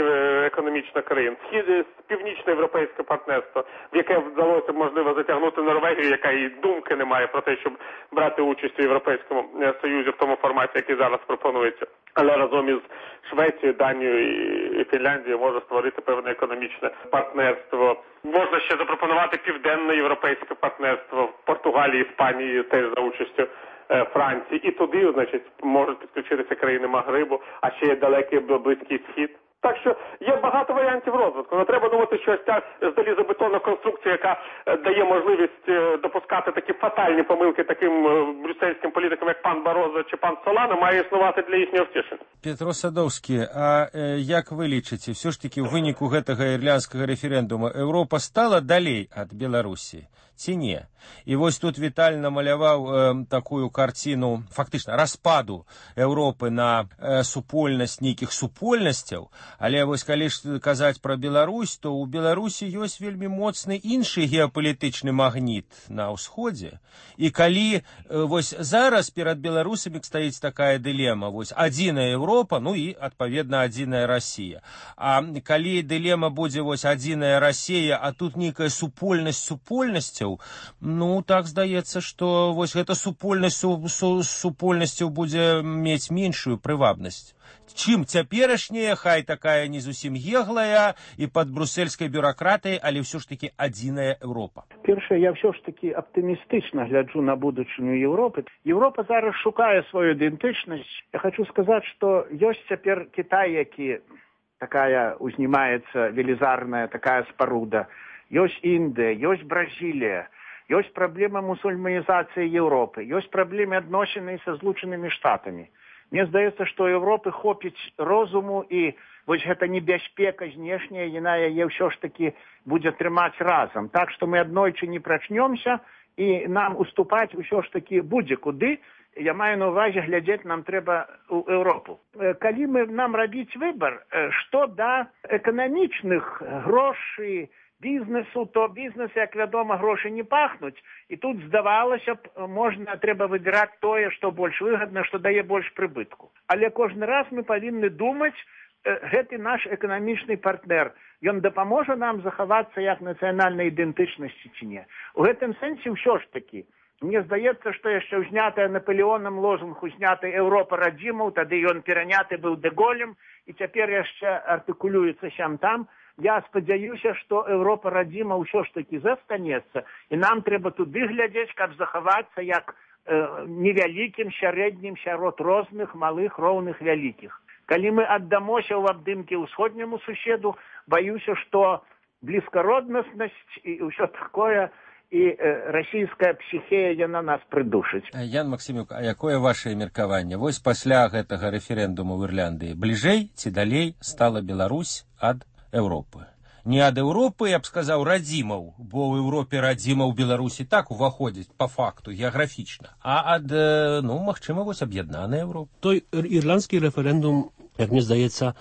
економічно країн, північноєвропейське партнерство, в яке вдалося, можливо, затягнути Норвегію, яка і думки не має про те, щоб брати участь у Європейському Союзі в тому форматі, який зараз пропонується. Але разом із Швецією, Данією і Фінляндією може створити певне економічне партнерство. Можна ще запропонувати південноєвропейське партнерство в Португалії, Іспанії, теж за участю Франції. І туди, значить, можуть підключитися країни Магрибу, а ще є далекий Близький Схід. Так що є багато варіантів розвитку. Не треба думати, що ось ця залізобетонна конструкція, яка дає можливість допускати такі фатальні помилки таким брюссельським політикам, як пан Барозо чи пан Солана, має існувати для їхнього втішення. Петро Садовський, а як ви лічыце, все ж таки ў выніку гэтага ірландскага рэферэндума Еўропа стала далей ад Беларусі? Ці не? І вось тут Віталь намаляваў такую карціну, фактычна, распаду Еўропы на супольнасць нейкіх супольнасцяў, але вось калі ж казаць пра Беларусь, то ў Беларусі ёсць вельмі моцны іншы геапалітычны магніт на ўсходзе. І калі вось зараз перад беларусамі стаіць такая дылема, вось адзіная Еўропа, ну і, адпаведна, адзіная Расія. А калі дылема будзе вось адзіная Расія, а тут нейкая супольнасць супольнасцяў, ну, так здаецца, што вось гэта супольнасць супольнасцяў будзе мець меншую прывабнасць. Чым цяперашняя, хай такая не зусім еглая і пад брусельскай бюракратыяй, але ўсё ж такі адзіная Еўропа. Першае, я ўсё ж такі аптымістычна гляджу на будучыню Еўропы. Еўропа зараз шукае сваю ідэнтычнасць. Я хочу сказаць, што ёсць цяпер Кітай, які такая узнімаецца велізарная такая спаруда. Ёсць Індыя, ёсць Бразілія, Ёсць праблема мусульманізацыі Европы, ёсць праблемы адносіны са Злучанымі Штатамі. Мне здаецца, што Европы хопіць розуму, і вось гэта небяспека знешняя, яна яе ўсё ж такі будзе трымаць разам. Так што мы аднойчы не прачнёмся, і нам уступаць усё ж такі будзе куды. Я маю на ўвазе, глядзець нам трэба ў Еўропу. Калі нам рабіць выбар, што да эканамічных грошай, бізнесу, то бізнес, як вядома, грошы не пахнуць. І тут, здавалася б, трэба выбіраць тое, што больш выгадна, што дае больш прыбытку. Але кожны раз мы павінны думаць, гэты наш эканамічны партнер, ён дапаможа нам захавацца як нацыянальнай ідэнтычнасці ці не. У гэтым сэнсе ўсё ж такі. Мне здаецца, што яшчэ ўзнятая Наполеонам лозунг узняты «Еўропа радзімаў», тады ён пераняты быў Дэ-Голем, і цяпер яшчэ артыкулюецца сям-там. Я спадзяюся, што Еўропа радзіма ўсё ж такі застанецца, і нам трэба туды глядзець, каб захавацца як невялікім, сярэднім сярод розных, малых, роўных, вялікіх. Калі мы аддамося ў абдымкі ўсходняму суседу, баюся, што блізкароднаснасць і ўсё такое, і расійская псіхея яна нас прыдушыць. Ян Максімюк, а якое вашае меркаванне? Вось пасля гэтага рэферэндуму ў Ірландыі бліжэй ці далей стала Беларусь ад Еўропы? Не ад Еўропы, я б сказаў, радзімаў, бо ў Еўропе радзімаў Беларусі так уваходзіць па факту, геаграфічна, а ад, магчыма, вось аб'яднаная Еўропа. Той ірландскі рэферэндум, як мне здаецца,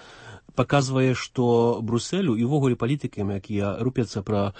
паказвае, што Брусэлю і ўвогуле палітыкам, якія рупяцца пра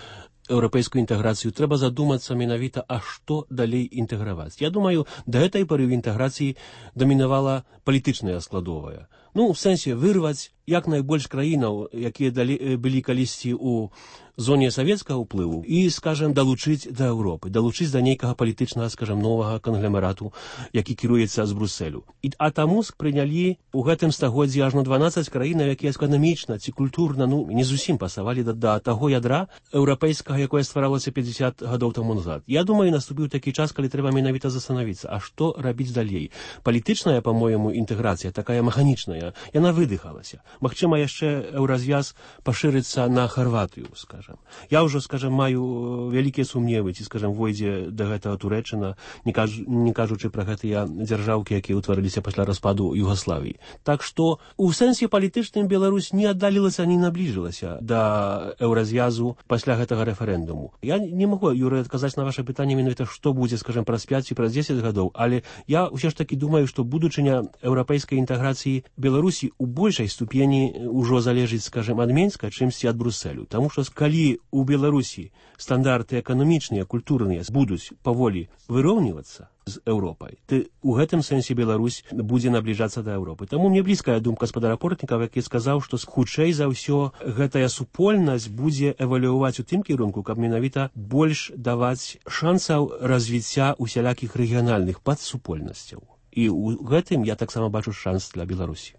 еўрапейскую інтэграцыю, трэба задумацца менавіта, а што далей інтэграваць. Я думаю, да гэтай пары ў інтэграцыі дамінавала палітычная складовая. У сэнсе вырваць як найбольш краінаў, якія былі калісьці ў зоне савецкага ўплыву, і, скажем, далучыць да Еўропы, далучыць да нейкага палітычнага, скажем, новага кангломерату, які кіруецца з Брусэлю. А таму прынялі ў гэтым стагоддзі ажно 12 краінаў, якія эканамічна ці культурна, не зусім пасавалі да таго ядра еўрапейскага, якое стваралася 50 гадоў таму назад. Я думаю, наступіў такі час, калі трэба менавіта застанавіцца, а што рабіць далей. Палітычная, па-моему, інтэграцыя, такая механічная, яна выдыхалася. Магчыма, яшчэ еўразвяз пашырыцца на Харватыю, скажем. Я ўжо, скажем, маю вялікія сумневы, ці, скажем, войдзе да гэтага Турэччына, не кажучы пра гэтыя дзяржаўкі, якія ўтварыліся пасля распаду Югаславіі. Так што у сэнсе палітычным Беларусь не аддалілася, не набліжылася да еўразвязу пасля гэтага рэферэндуму. Я не магу, Юрый, адказаць на ваше пытанне менавіта, што будзе, скажем, праз 5 ці праз 10 гадоў, але я ўсё ж такі думаю, што будучыня еўрапейскай інтэграцыі Беларусі у большай ступені ўжо залежыць, скажем, ад Менска, чымсьці ад Брусэлю. Таму што калі у Беларусі стандарты эканамічныя, культурныя будуць паволі выроўнівацца з Еўропай, то у гэтым сэнсе Беларусь будзе набліжацца да Еўропы. Таму мне блізкая думка спадара Портнікава, які сказаў, што хутчэй за ўсё гэтая супольнасць будзе эвалюаваць у тым кірунку, каб менавіта больш даваць шансаў развіцця усялякіх рэгіянальных падсупольнасцяў. І ў гэтым я таксама бачу шанс для Беларусі.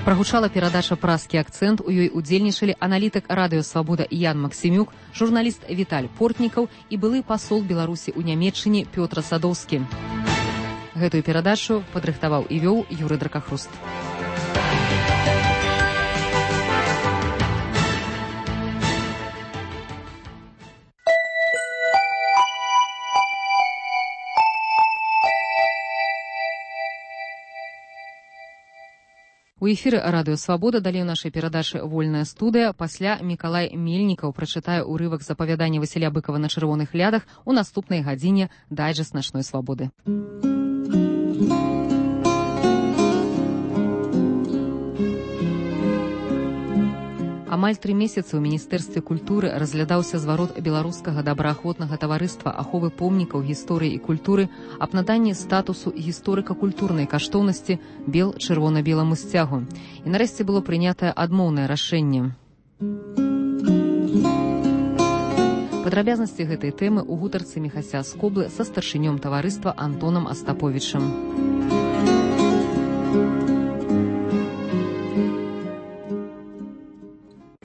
Прагучала перадача «Празкі акцэнт». У ёй удзельнічалі аналітык радыё «Свабода» Ян Максімюк, журналіст Віталь Портнікаў і былы пасол Беларусі ў Нямецчыне Пётр Садоўскі. Гэтую перадачу падрыхтаваў і вёў Юрый Дракахруст. У эфіры радыё «Свабода» далей у нашай перадачы «Вольная студыя». Пасля Мікалай Мельнікаў прачытае ўрывак з апавядання Васіля Быкава «На чырвоных лядах» у наступнай гадзіне дайджэст начной свабоды. Амаль 3 месяцы ў Міністэрстве культуры разглядаўся зварот беларускага добраахвотнага таварыства аховы помнікаў гісторыі і культуры аб наданні статусу гісторыка-культурнай каштоўнасці бел-чырвона-беламу сцягу. І нарэшце было прынятае адмоўнае рашэнне. Падрабязнасці гэтай тэмы ў гутарцы Міхася Скоблы са старшынём таварыства Антонам Астаповічам.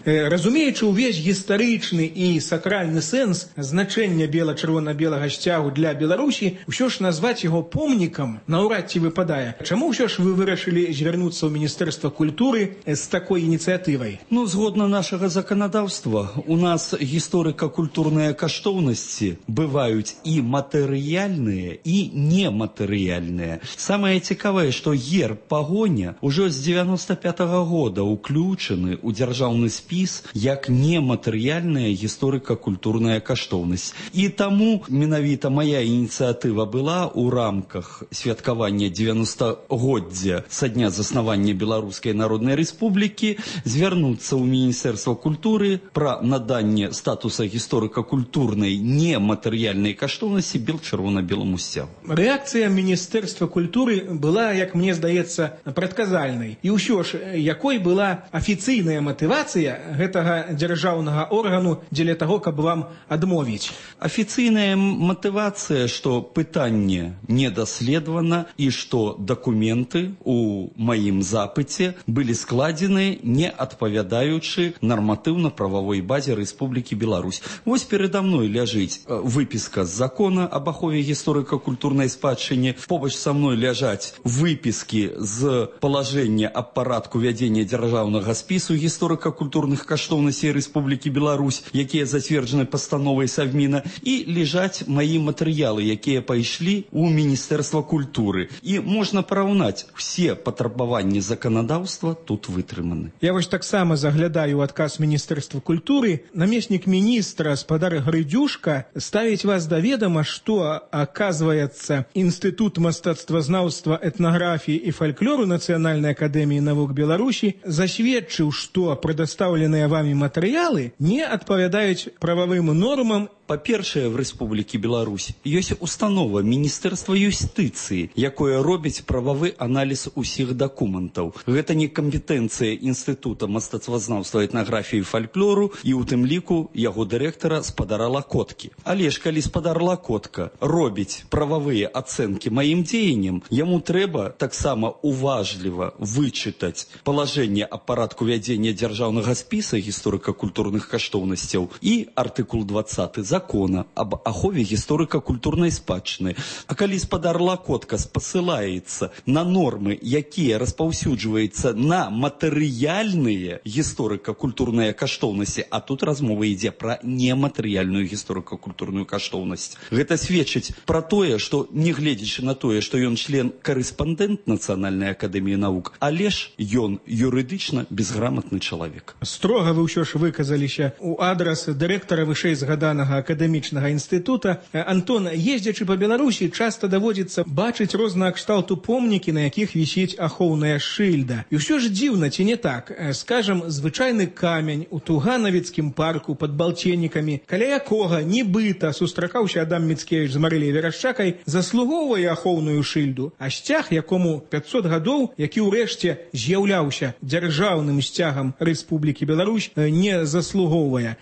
Разумеючы ўвесь гістарычны і сакральны сэнс значэння бела-чырвона-белага сцягу для Беларусі, ўсё ж назваць яго помнікам наўрад ці выпадае. Чаму ўсё ж вы вырашылі звярнуцца ў Міністэрства культуры з такой ініцыятывай? Згодна нашага заканадаўства, у нас гісторыка-культурныя каштоўнасці бываюць і матэрыяльныя, і нематэрыяльныя. Самае цікавае, што герб пагоня ўжо з 95-го года уключаны ў дзяржаўны спіс як нематэрыяльная гісторыка-культурная каштоўнасць. І таму менавіта мая ініцыятыва была ў рамках святкавання 90-годдзя са дня заснавання Беларускай Народнай Рэспублікі звярнуцца ў Міністэрства культуры пра наданне статуса гісторыка-культурнай нематэрыяльнай каштоўнасці бел-чырвона-беламу сцягу. Рэакцыя Міністэрства культуры была, як мне здаецца, прадказальнай. І ўсё ж, якой была афіцыйная матывацыя гэтага дзяржаўнага органу дзеля таго, каб вам адмовіць? Афіцыйная матывацыя, што пытанне не даследавана і што дакументы у маім запыце былі складзены, не адпавядаючы нарматыўна-прававой базе Рэспублікі Беларусь. Вось перада мной ляжыць выпіска з закона аб ахове гісторыка-культурнай спадчыне. Побач са мной ляжаць выпіскі з палажэння аб парадку вядзення дзяржаўнага спісу гісторыка-культурных каштоўнасцей Рэспублікі Беларусь, якія зацверджаны пастановай Савміна, і ляжаць маі матэрыялы, якія пайшлі ў Міністэрства культуры. І можна параўнаць, усе патрабаванні заканадаўства тут вытрыманы. Я вось таксама заглядаю адказ Міністэрства культуры. Намеснік міністра спадар Грыдзюшка ставіць вас да ведама, што, аказваецца, Інстытут мастацтвазнаўства, этнаграфіі і фальклору Нацыянальнай акадэміі навук Беларусі засведчыў, што прадастаўленыя вамі матэрыялы не адпавядаюць прававым нормам. Па-першае, в Рэспублікі Беларусь ёсць установа Міністэрства юстыцыі, якое робіць прававы аналіз усіх дакументаў. Гэта не кампетэнцыя Інстытута мастацтвазнаўства, этнаграфіі і фальклору і ў тым ліку яго дырэктара спадара Лакоткі. Але ж калі спадар Лакотка робіць прававыя ацэнкі маім дзеянням, яму трэба таксама уважліва вычытаць палажэнне аб парадку вядзення дзяржаўнага спіса гісторыка-культурных каштоўнасцяў і артыкул 20 закона об ахове гісторыка-культурнай спадчыны. А калі спадар Лакотка спасылаецца на нормы, якія распаўсюджваюцца на матэрыяльныя гісторыка-культурныя каштоўнасці, а тут размова ідзе пра нематэрыяльную гісторыка-культурную каштоўнасць. Гэта сведчыць пра тое, што, не гледзячы на тое, што ён член-карэспандэнт Нацыянальнай акадэміі навук, але ж ён юрыдычна безграмотны чалавек. Строга вы ўсё ж выказаліся ў адрас дырэктара вышэйзгаданага акадэмічнага інстытута. Антон, ездзячы па Беларусі, часта даводзіцца бачыць рознага кшталту помнікі, на якіх вісіць ахоўная шыльда. І ўсё ж дзіўна, ці не так? Скажам, звычайны камень у Туганавіцкім парку пад Балценнікамі, каля якога нібыта сустракаўся Адам Міцкевіч з Марыляй Верашчакай, заслугоўвае ахоўную шыльду, а сцяг, якому 500 гадоў, які ўрэшце з'яўляўся дзяржаўным сцягам Рэспублікі Беларусь, не заслугоўвае.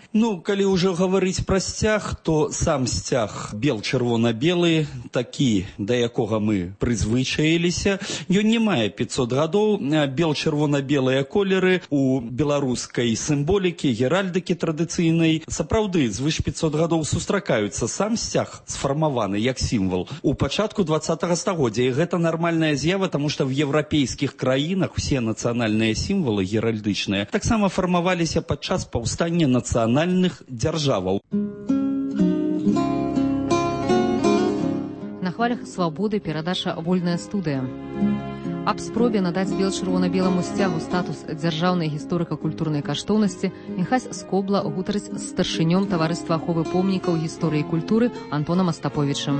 Калі ўжо гаварыць пра сцяг, то сам сцяг бел-чырвона-белы, такі, да якога мы прызвычаіліся, ён не мае 500 гадоў. Бел-чырвона-белыя колеры у беларускай сімволікі, геральдыкі традыцыйнай сапраўды звыш 500 гадоў сустракаюцца. Сам сцяг сфармаваны як сімвал у пачатку 20-го стагоддзя, і гэта нармальная з'ява, таму што в еўрапейскіх краінах усе нацыянальныя сімвалы геральдычныя таксама фармаваліся падчас паўстання нацыянальных дзяржаваў. На хвалях свабоды перадача «Вольная студыя». Аб спробе надаць бел-чырвона-беламу сцягу статус дзяржаўнай гісторыка-культурнай каштоўнасці Міхась Скобла гутарыць з старшынём таварыства аховы помнікаў гісторыі і культуры Антонам Астаповічам.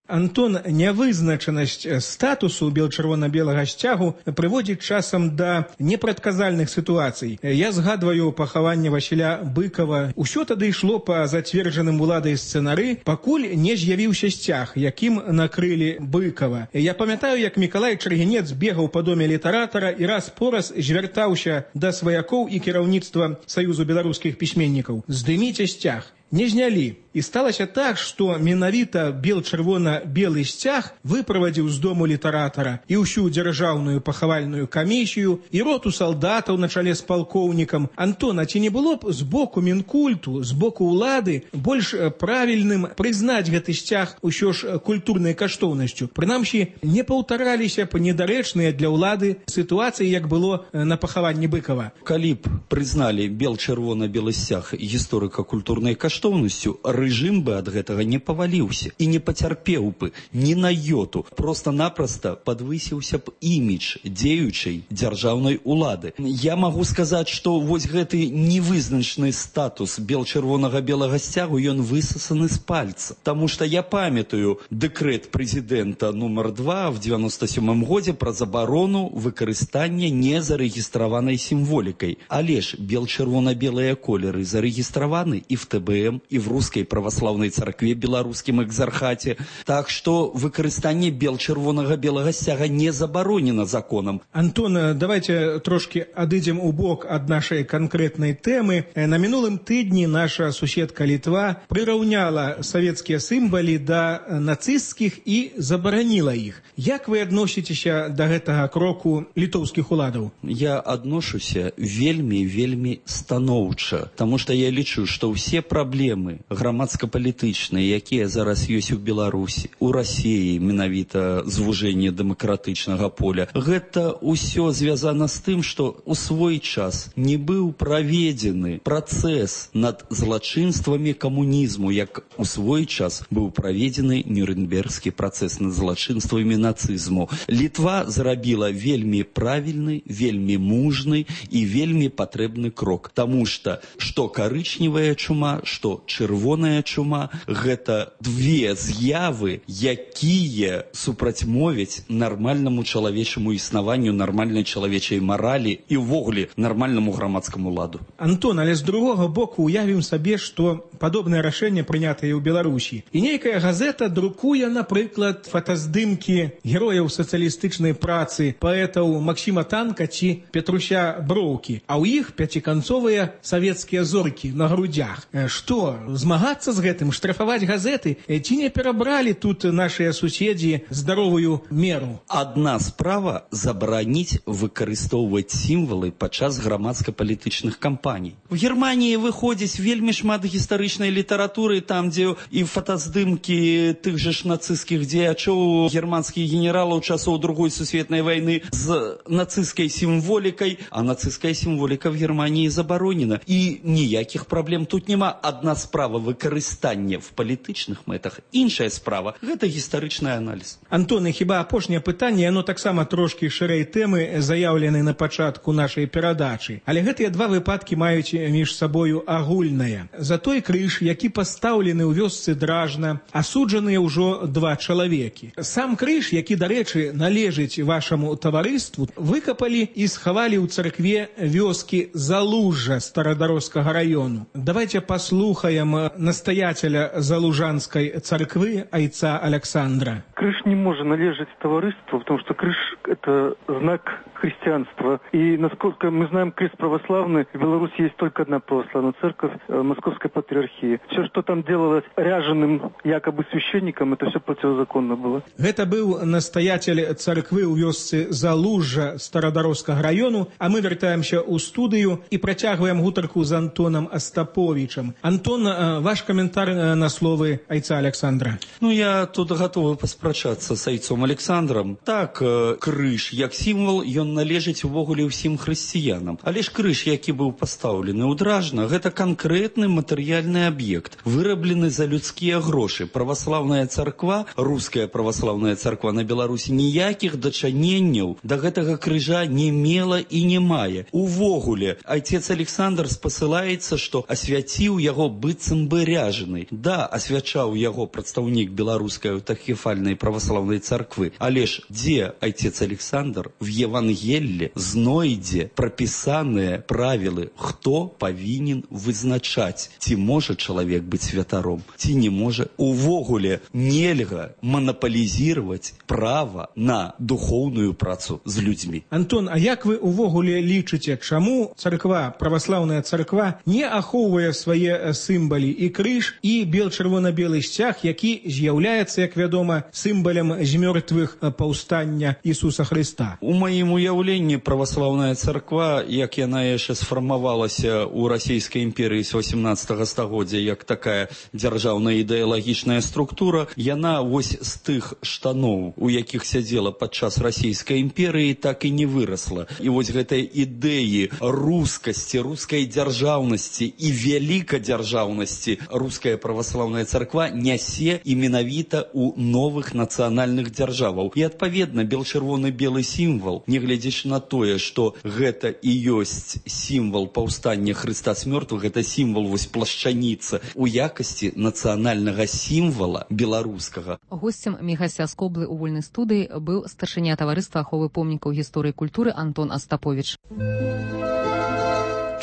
Антон, нявызначанасць статусу бел-чырвона-белага сцягу прыводзіць часам да непрадказальных сітуацый. Я згадваю пахаванне Васіля Быкова. Усё тады ішло па зацверджаным уладай сцэнары, пакуль не з'явіўся сцяг, якім накрылі Быкова. Я памятаю, як Мікалай Чаргінец бегаў па доме літаратара і раз-пораз звяртаўся да сваякоў і кіраўніцтва Саюзу беларускіх пісьменнікаў: здыміце сцяг. Не знялі. І І сталася так, што менавіта бел-чырвона-белы сцяг выправадзіў з дому літаратара і ўсю дзяржаўную пахавальную камісію, і роту салдатаў на чале з палкоўнікам. Антон, а ці не было б з боку Мінкульту, з боку ўлады больш правільным прызнаць гэты сцяг усё ж культурнай каштоўнасцю? Прынамсі, не паўтараліся б недарэчныя для ўлады сітуацыі, як было на пахаванні Быкова. Калі б прызналі бел-чырвона-белы сцяг гісторыка-культурнай каштоўнасцю, рэжым бы ад гэтага не паваліўся і не пацярпеў бы ні на йоту. Просто-напросто падвысіўся б імідж дзеючай дзяржаўнай улады. Я магу сказаць, што вось гэты невызначны статус бел-чырвонага-белага сцягу, ён высасаны з пальца. Таму што я памятаю дэкрэт прэзідэнта нумар 2 в 97 годзе пра забарону выкарыстання незарэгістраванай сімволікай. Але ж бел-чырвона-белыя колеры зарэгістраваны і в ТБМ, і в Рускай праваслаўнай царкве беларускім экзархаце. Так што выкарыстанне бел-чырвонага-белага сцяга не забаронена законам. Антон, давайте трошки адыдзем у бок ад нашай канкрэтнай тэмы. На мінулым тыдні наша суседка Літва прыраўняла савецкія сімвалы да нацысцкіх і забараніла іх. Як вы адносіцеся да гэтага кроку літоўскіх уладаў? Я адношуся вельмі станоўча, таму што я лічу, што ўсе праблемы грамадска-палітычныя, якія зараз ёсць у Беларусі, у Расіі, менавіта звужэнне дэмакратычнага поля, гэта ўсё звязана з тым, што у свой час не быў праведзены працэс над злачынствамі камунізму, як у свой час быў праведзены Нюрнбергскі працэс над злачынствамі нацызму. Літва зрабіла вельмі правільны, вельмі мужны і вельмі патрэбны крок, таму што карычневая чума, што чырвоная чума – гэта две з'явы, якія супрацьмовяць нармальнаму чалавечаму існаванню, нармальнай чалавечай маралі і ўвогуле нармальнаму грамадскаму ладу. Антон, але з другога боку уявім сабе, што падобнае рашэнне прынятае ў Беларусі. І нейкая газета друкуе, напрыклад, фотаздымкі герояў сацыялістычнай працы, паэтаў Максіма Танка ці Петруся Броўкі, а ў іх пяціканцовыя савецкія зоркі на грудях. Што, змагацца з гэтым, штрафаваць газеты? Ці не перабралі тут нашыя суседзі здаровую меру? Адна справа забараніць выкарыстоўваць сімвалы падчас грамадска-палітычных кампаній. У Германіі выходзіць вельмі шмат гістарычнай літаратуры, там, дзе і фотаздымкі тых жа ж нацысцкіх дзеячоў, германскіх генералаў часоў Другой сусветнай вайны з нацысцкай сімволікай, а нацысцкая сімволіка в Германії забаронена. І ніякіх праблем тут няма. Адна справа выкарыстання в палітычных мэтах, іншая справа – гэта гістарычны аналіз. Антон, і хіба апошняе пытанне, яно таксама трошкі шырэй тэмы, заяўлены на пачатку нашай перадачы. Але гэтыя два выпадкі маюць між сабою агульнае. За той крыж, які пастаўлены ў вёсцы Дражна, асуджаныя ўжо два чалавекі. Сам крыж, які, дарэчы, належыць вашаму таварыству, выкапалі і схавалі ў царкве вёскі Залужжа Старадарожскага раёну. Давайте послухаем настоятеля Залужанской церкви айца Александра. Крыж не может належать товариству, потому что крыж – это знак христианства. И, насколько мы знаем, крест православный, в Беларуси есть только одна православная церковь – Московской патриархии. Все, что там делалось ряженым якобы священником, это все противозаконно было. Это был настоятель церкви у вёсцы Залужжа Старадарожскага району, а мы вертаемся у студию и протягиваем гутарку с Антоном Остаповичем. Антон, ваш комментарий на словы айца Александра. Ну, я тут готовы паспрачацца с айцом Александром. Так, крыж, як сімвал, ён належыць увогуле ўсім хрысціянам. Але ж крыж, які быў пастаўлены ў Дражна, гэта канкрэтны матэрыяльны аб'ект, выраблены за людскія грошы. Праваслаўная царква, руская праваслаўная царква на Беларусі ніякіх дачыненняў да гэтага крыжа не мела і не мае. Увогуле, айцец Александр спасылаецца, што асвяціў яго быццам бы ряжаны. Да, асвячаў яго прадстаўнік беларускай аўтакефальнай праваслаўнай царквы. Але ж дзе айцец Александр в Евангелле знойдзе прапісаныя правілы, хто павінен вызначаць, ці можа чалавек быць святаром, ці не можа. Увогуле нельга манаполізировать права на духоўную працу з людзьмі. Антон, а як вы увогуле лічыце, чаму царква, праваслаўная царква не ахоўвае свае сімвалы і крыж і бел-чырвона-белы сцяг, які з'яўляецца, як вядома, сімвалам змёртвых паўстання Ісуса Хрыста. У маім уяўленні праваслаўная царква, як яна яшчэ сфармавалася ў расійскай імперыі з 18 стагоддзя, як такая дзяржаўная ідэалагічная структура, яна вось з тых штаноў, у якіх сядзела падчас расійскай імперыі, так і не вырасла. І вось гэтай ідэі рускасці, рускай дзяржаўнасці і вялікадзяржаўнасці руская праваслаўная царква нясе і менавіта ў новых нацыянальных дзяржаваў. І адпаведна бел-чырвоны-белы сімвал, нягледзячы на тое, што гэта і ёсць сімвал паўстання Хрыста з мёртвых, гэта сімвал вось плашчаніца у якасці нацыянальнага сімвала беларускага. Госцем Міхася Скоблы ў вольнай студыі быў старшыня таварыства аховы помнікаў гісторыі культуры Антон Астапович.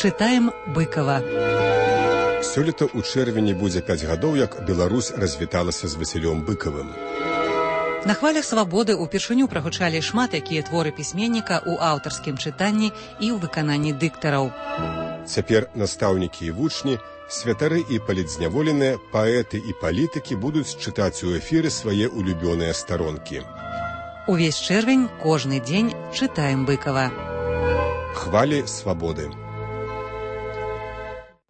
Чытаем Быкова. Сёлета ў чэрвені будзе 5 гадоў, як Беларусь развіталася з Васілём Быкавым. На хвалях свабоды ўпершыню прагучалі шмат якія творы пісьменніка ў аўтарскім чытанні і ў выкананні дыктараў. Цяпер настаўнікі і вучні, святары і палітзняволеныя, паэты і палітыкі будуць чытаць у эфіры свае улюбёныя старонкі. Увесь чэрвень, кожны дзень чытаем Быкава. Хвалі свабоды.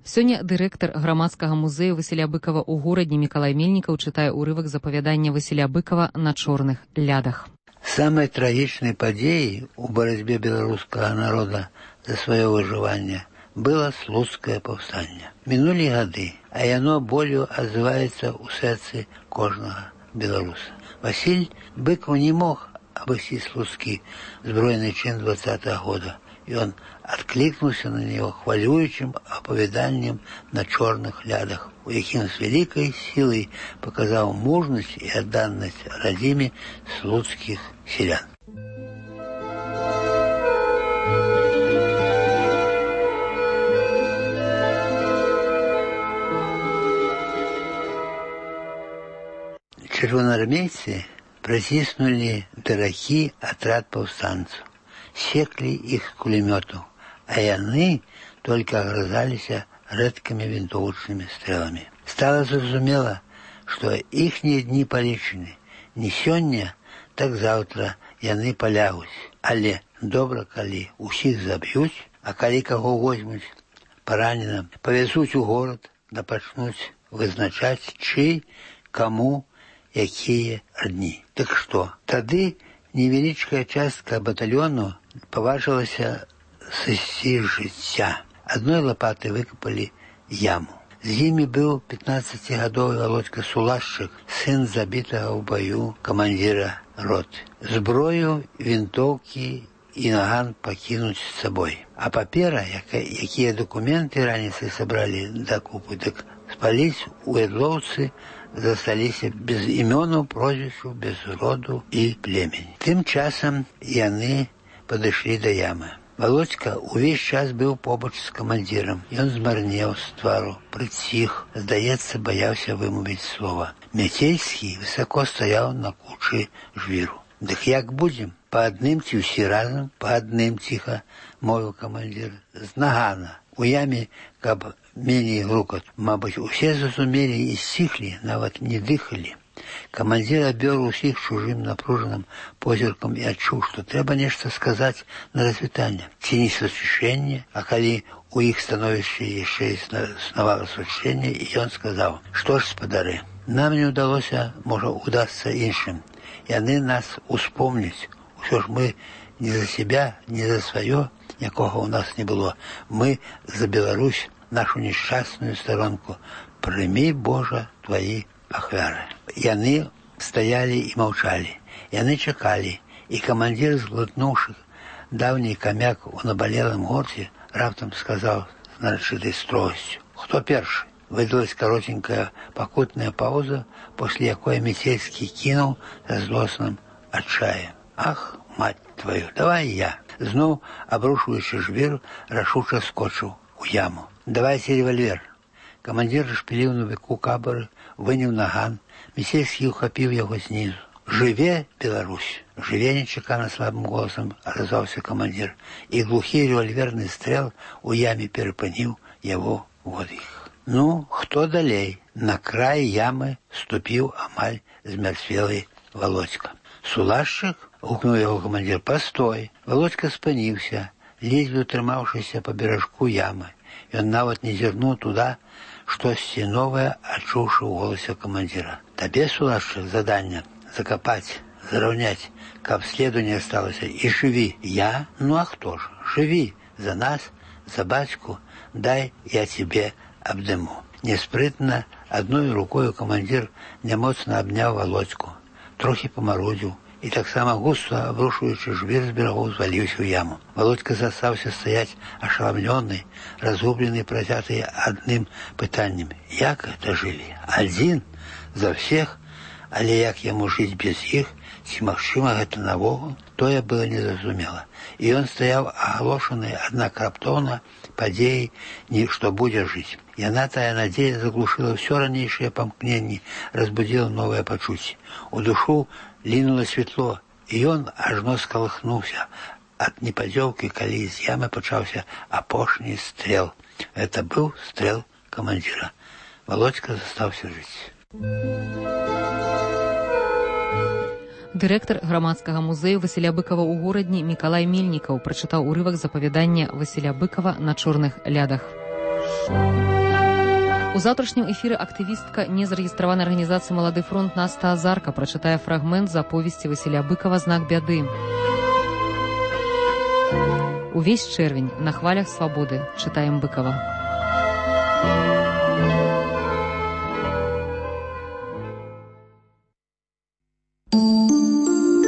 Сёння дырэктар грамадскага музею Васіля Быкава ў горадзе Мікалай Мельнікаў чытае ўрывак з апавядання Васіля Быкава «На чорных лядах». Самой трагічнай падзеяй у барацьбе беларускага народа за сваё выжыванне было слуцкае паўстанне. Мінулі гады, а яно болю адзываецца ў сэрцы кожнага беларуса. Васіль Быкаў не мог абысці слуцкі збройны чин 20-го года. Ён адклікнуўся на него хвалюючым апавяданнем «На чорных лядах», у якім з вялікай сілай паказаў мужнасць і адданасць радзіме слуцкіх селян. Чырвонаармейцы праціснулі дарагі атрад паўстанцаў. Секли их с кулеметов, а яны только огрызаліся рэдкімі вінтовачнымі стрелами. Стало зразумела, что ихние дни полічаны. Не сёння, так завтра яны полягуць. Але добра, калі усіх заб'юць, а калі каго возьмуць параненым, павязуць у горад, да пачнуць вызначаць, чый, каму, якія дні. Так што, тады невеличкая частка батальону поважилася сысці жыцця. Адной лопатой выкопали яму. З імі быў 15-гадовы Володька Сулашчык, сын забітага ў бою камандзіра роты. Зброю, вінтоўкі і наган пакінуць з сабой. А папера, якія дакументы раніцай сабралі дакупы, дык спаліць у Ядлоўцы засталіся без імёнаў, прозвішчаў, без роду і племені. Тым часам яны падышлі да ямы. Володька увесь час быў побач з камандзірам. Ён змарнеў з твару, прыціх, здаецца, баяўся вымовіць слова. Мяцельскі высоко стаяў на кучы жвіру. Дык як будзем? Па адным ці ўсі разам? Па адным, ціха мовіў камандзір. З нагана. У яме, каб меней грукат. Мабыць, усе зразумелі і сціхлі, нават не дыхалі. Камандзір абвёр усіх чужым напружаным позіркам і адчуў, што трэба нешта сказаць на развітанне. Ці не сусвішэнне, а калі у іх становішча яшчэ існавала сусвішэнне, і ён сказаў: «Што ж, спадары, нам не ўдалося, можа, удасца іншым. Яны нас успомняць. Усё ж мы не за себя, не за сваё, якога ў нас не было. Мы за Беларусь, нашу несчастную сторонку. Прымі, Божа, твои ахвяры». Яны стаялі і маўчалі. Яны чакалі, і камандзір, зглытнуўшы даўні камяк у набалелым горце, раптам сказаў з нарачытай строгасцю: «Хто першы?» Выдалась коротенькая пакутная пауза, после якой Мяцельскі кінуў са злосным адчаем: «Ах, мать твою, давай я!» Зноў, абрушваючы жвір, рашуча скочыў у яму. «Давайце рэвальвер». Камандзір шпіліў на веку кабары, выняў наган. Мяцельскі ухапіў яго знізу. «Жыве Беларусь! Жыве!» нечакана слабым голосам адазваўся камандзір, і глухі рэвальверны стрэл у яме перапыніў яго водых. Ну, хто далей? На край ямы ступіў амаль змярцвелы Володька. Сулашчык? Гукнуў яго камандзір. Пастой. Володька спыніўся, ледзьве утрымаўшыся па беражку ямы. Ён нават не зірнуў туда, штосьці новае, адчуўшы ў голасе камандзіра. Табе, Сулашчык, заданне закапаць, зараўняць, каб следу не асталася, і жыві. Я? Ну а хто ж? Жыві за нас, за бацьку, дай я тебе абдыму. Неспрытна, адной рукою камандзір нямоцна абняў Володьку, трохі памарудзіў і таксама густа, абрушуючы жвір з берагоў, зваліўся ў яму. Володька застаўся стаяць ашаламлёны, разгублены, працяты адным пытаннем. Як гэта жылі? Адзін? За ўсіх? Але як яму жыць без іх? Ці магчыма гэта навогул? Тое было незразумела. І ён стаяў агалошаны, аднак раптоўна падзеі, што будзе жыць. Яна, тая надзея, заглушыла ўсё ранейшае памкненне, разбудзіла новае пачуцце. У душу лінула святло, і ён ажно скалыхнуўся ад непадзёўкі, калі з ямы пачаўся апошні стрэл. Гэта быў стрэл камандзіра. Володька застаўся жыць. Дырэктар грамадскага музею Васіля Быкава ў горадні Мікалай Мельнікаў прачытаў урывак з апавядання Васіля Быкава «На чорных лядах». У заўтрашнім эфіры актывістка незарэгістраванай арганізацыі «Малады фронт» Наста Азарка прачытае фрагмент з аповесці Васіля Быкава «Знак бяды». Увесь чэрвень на хвалях свабоды чытаем Быкава.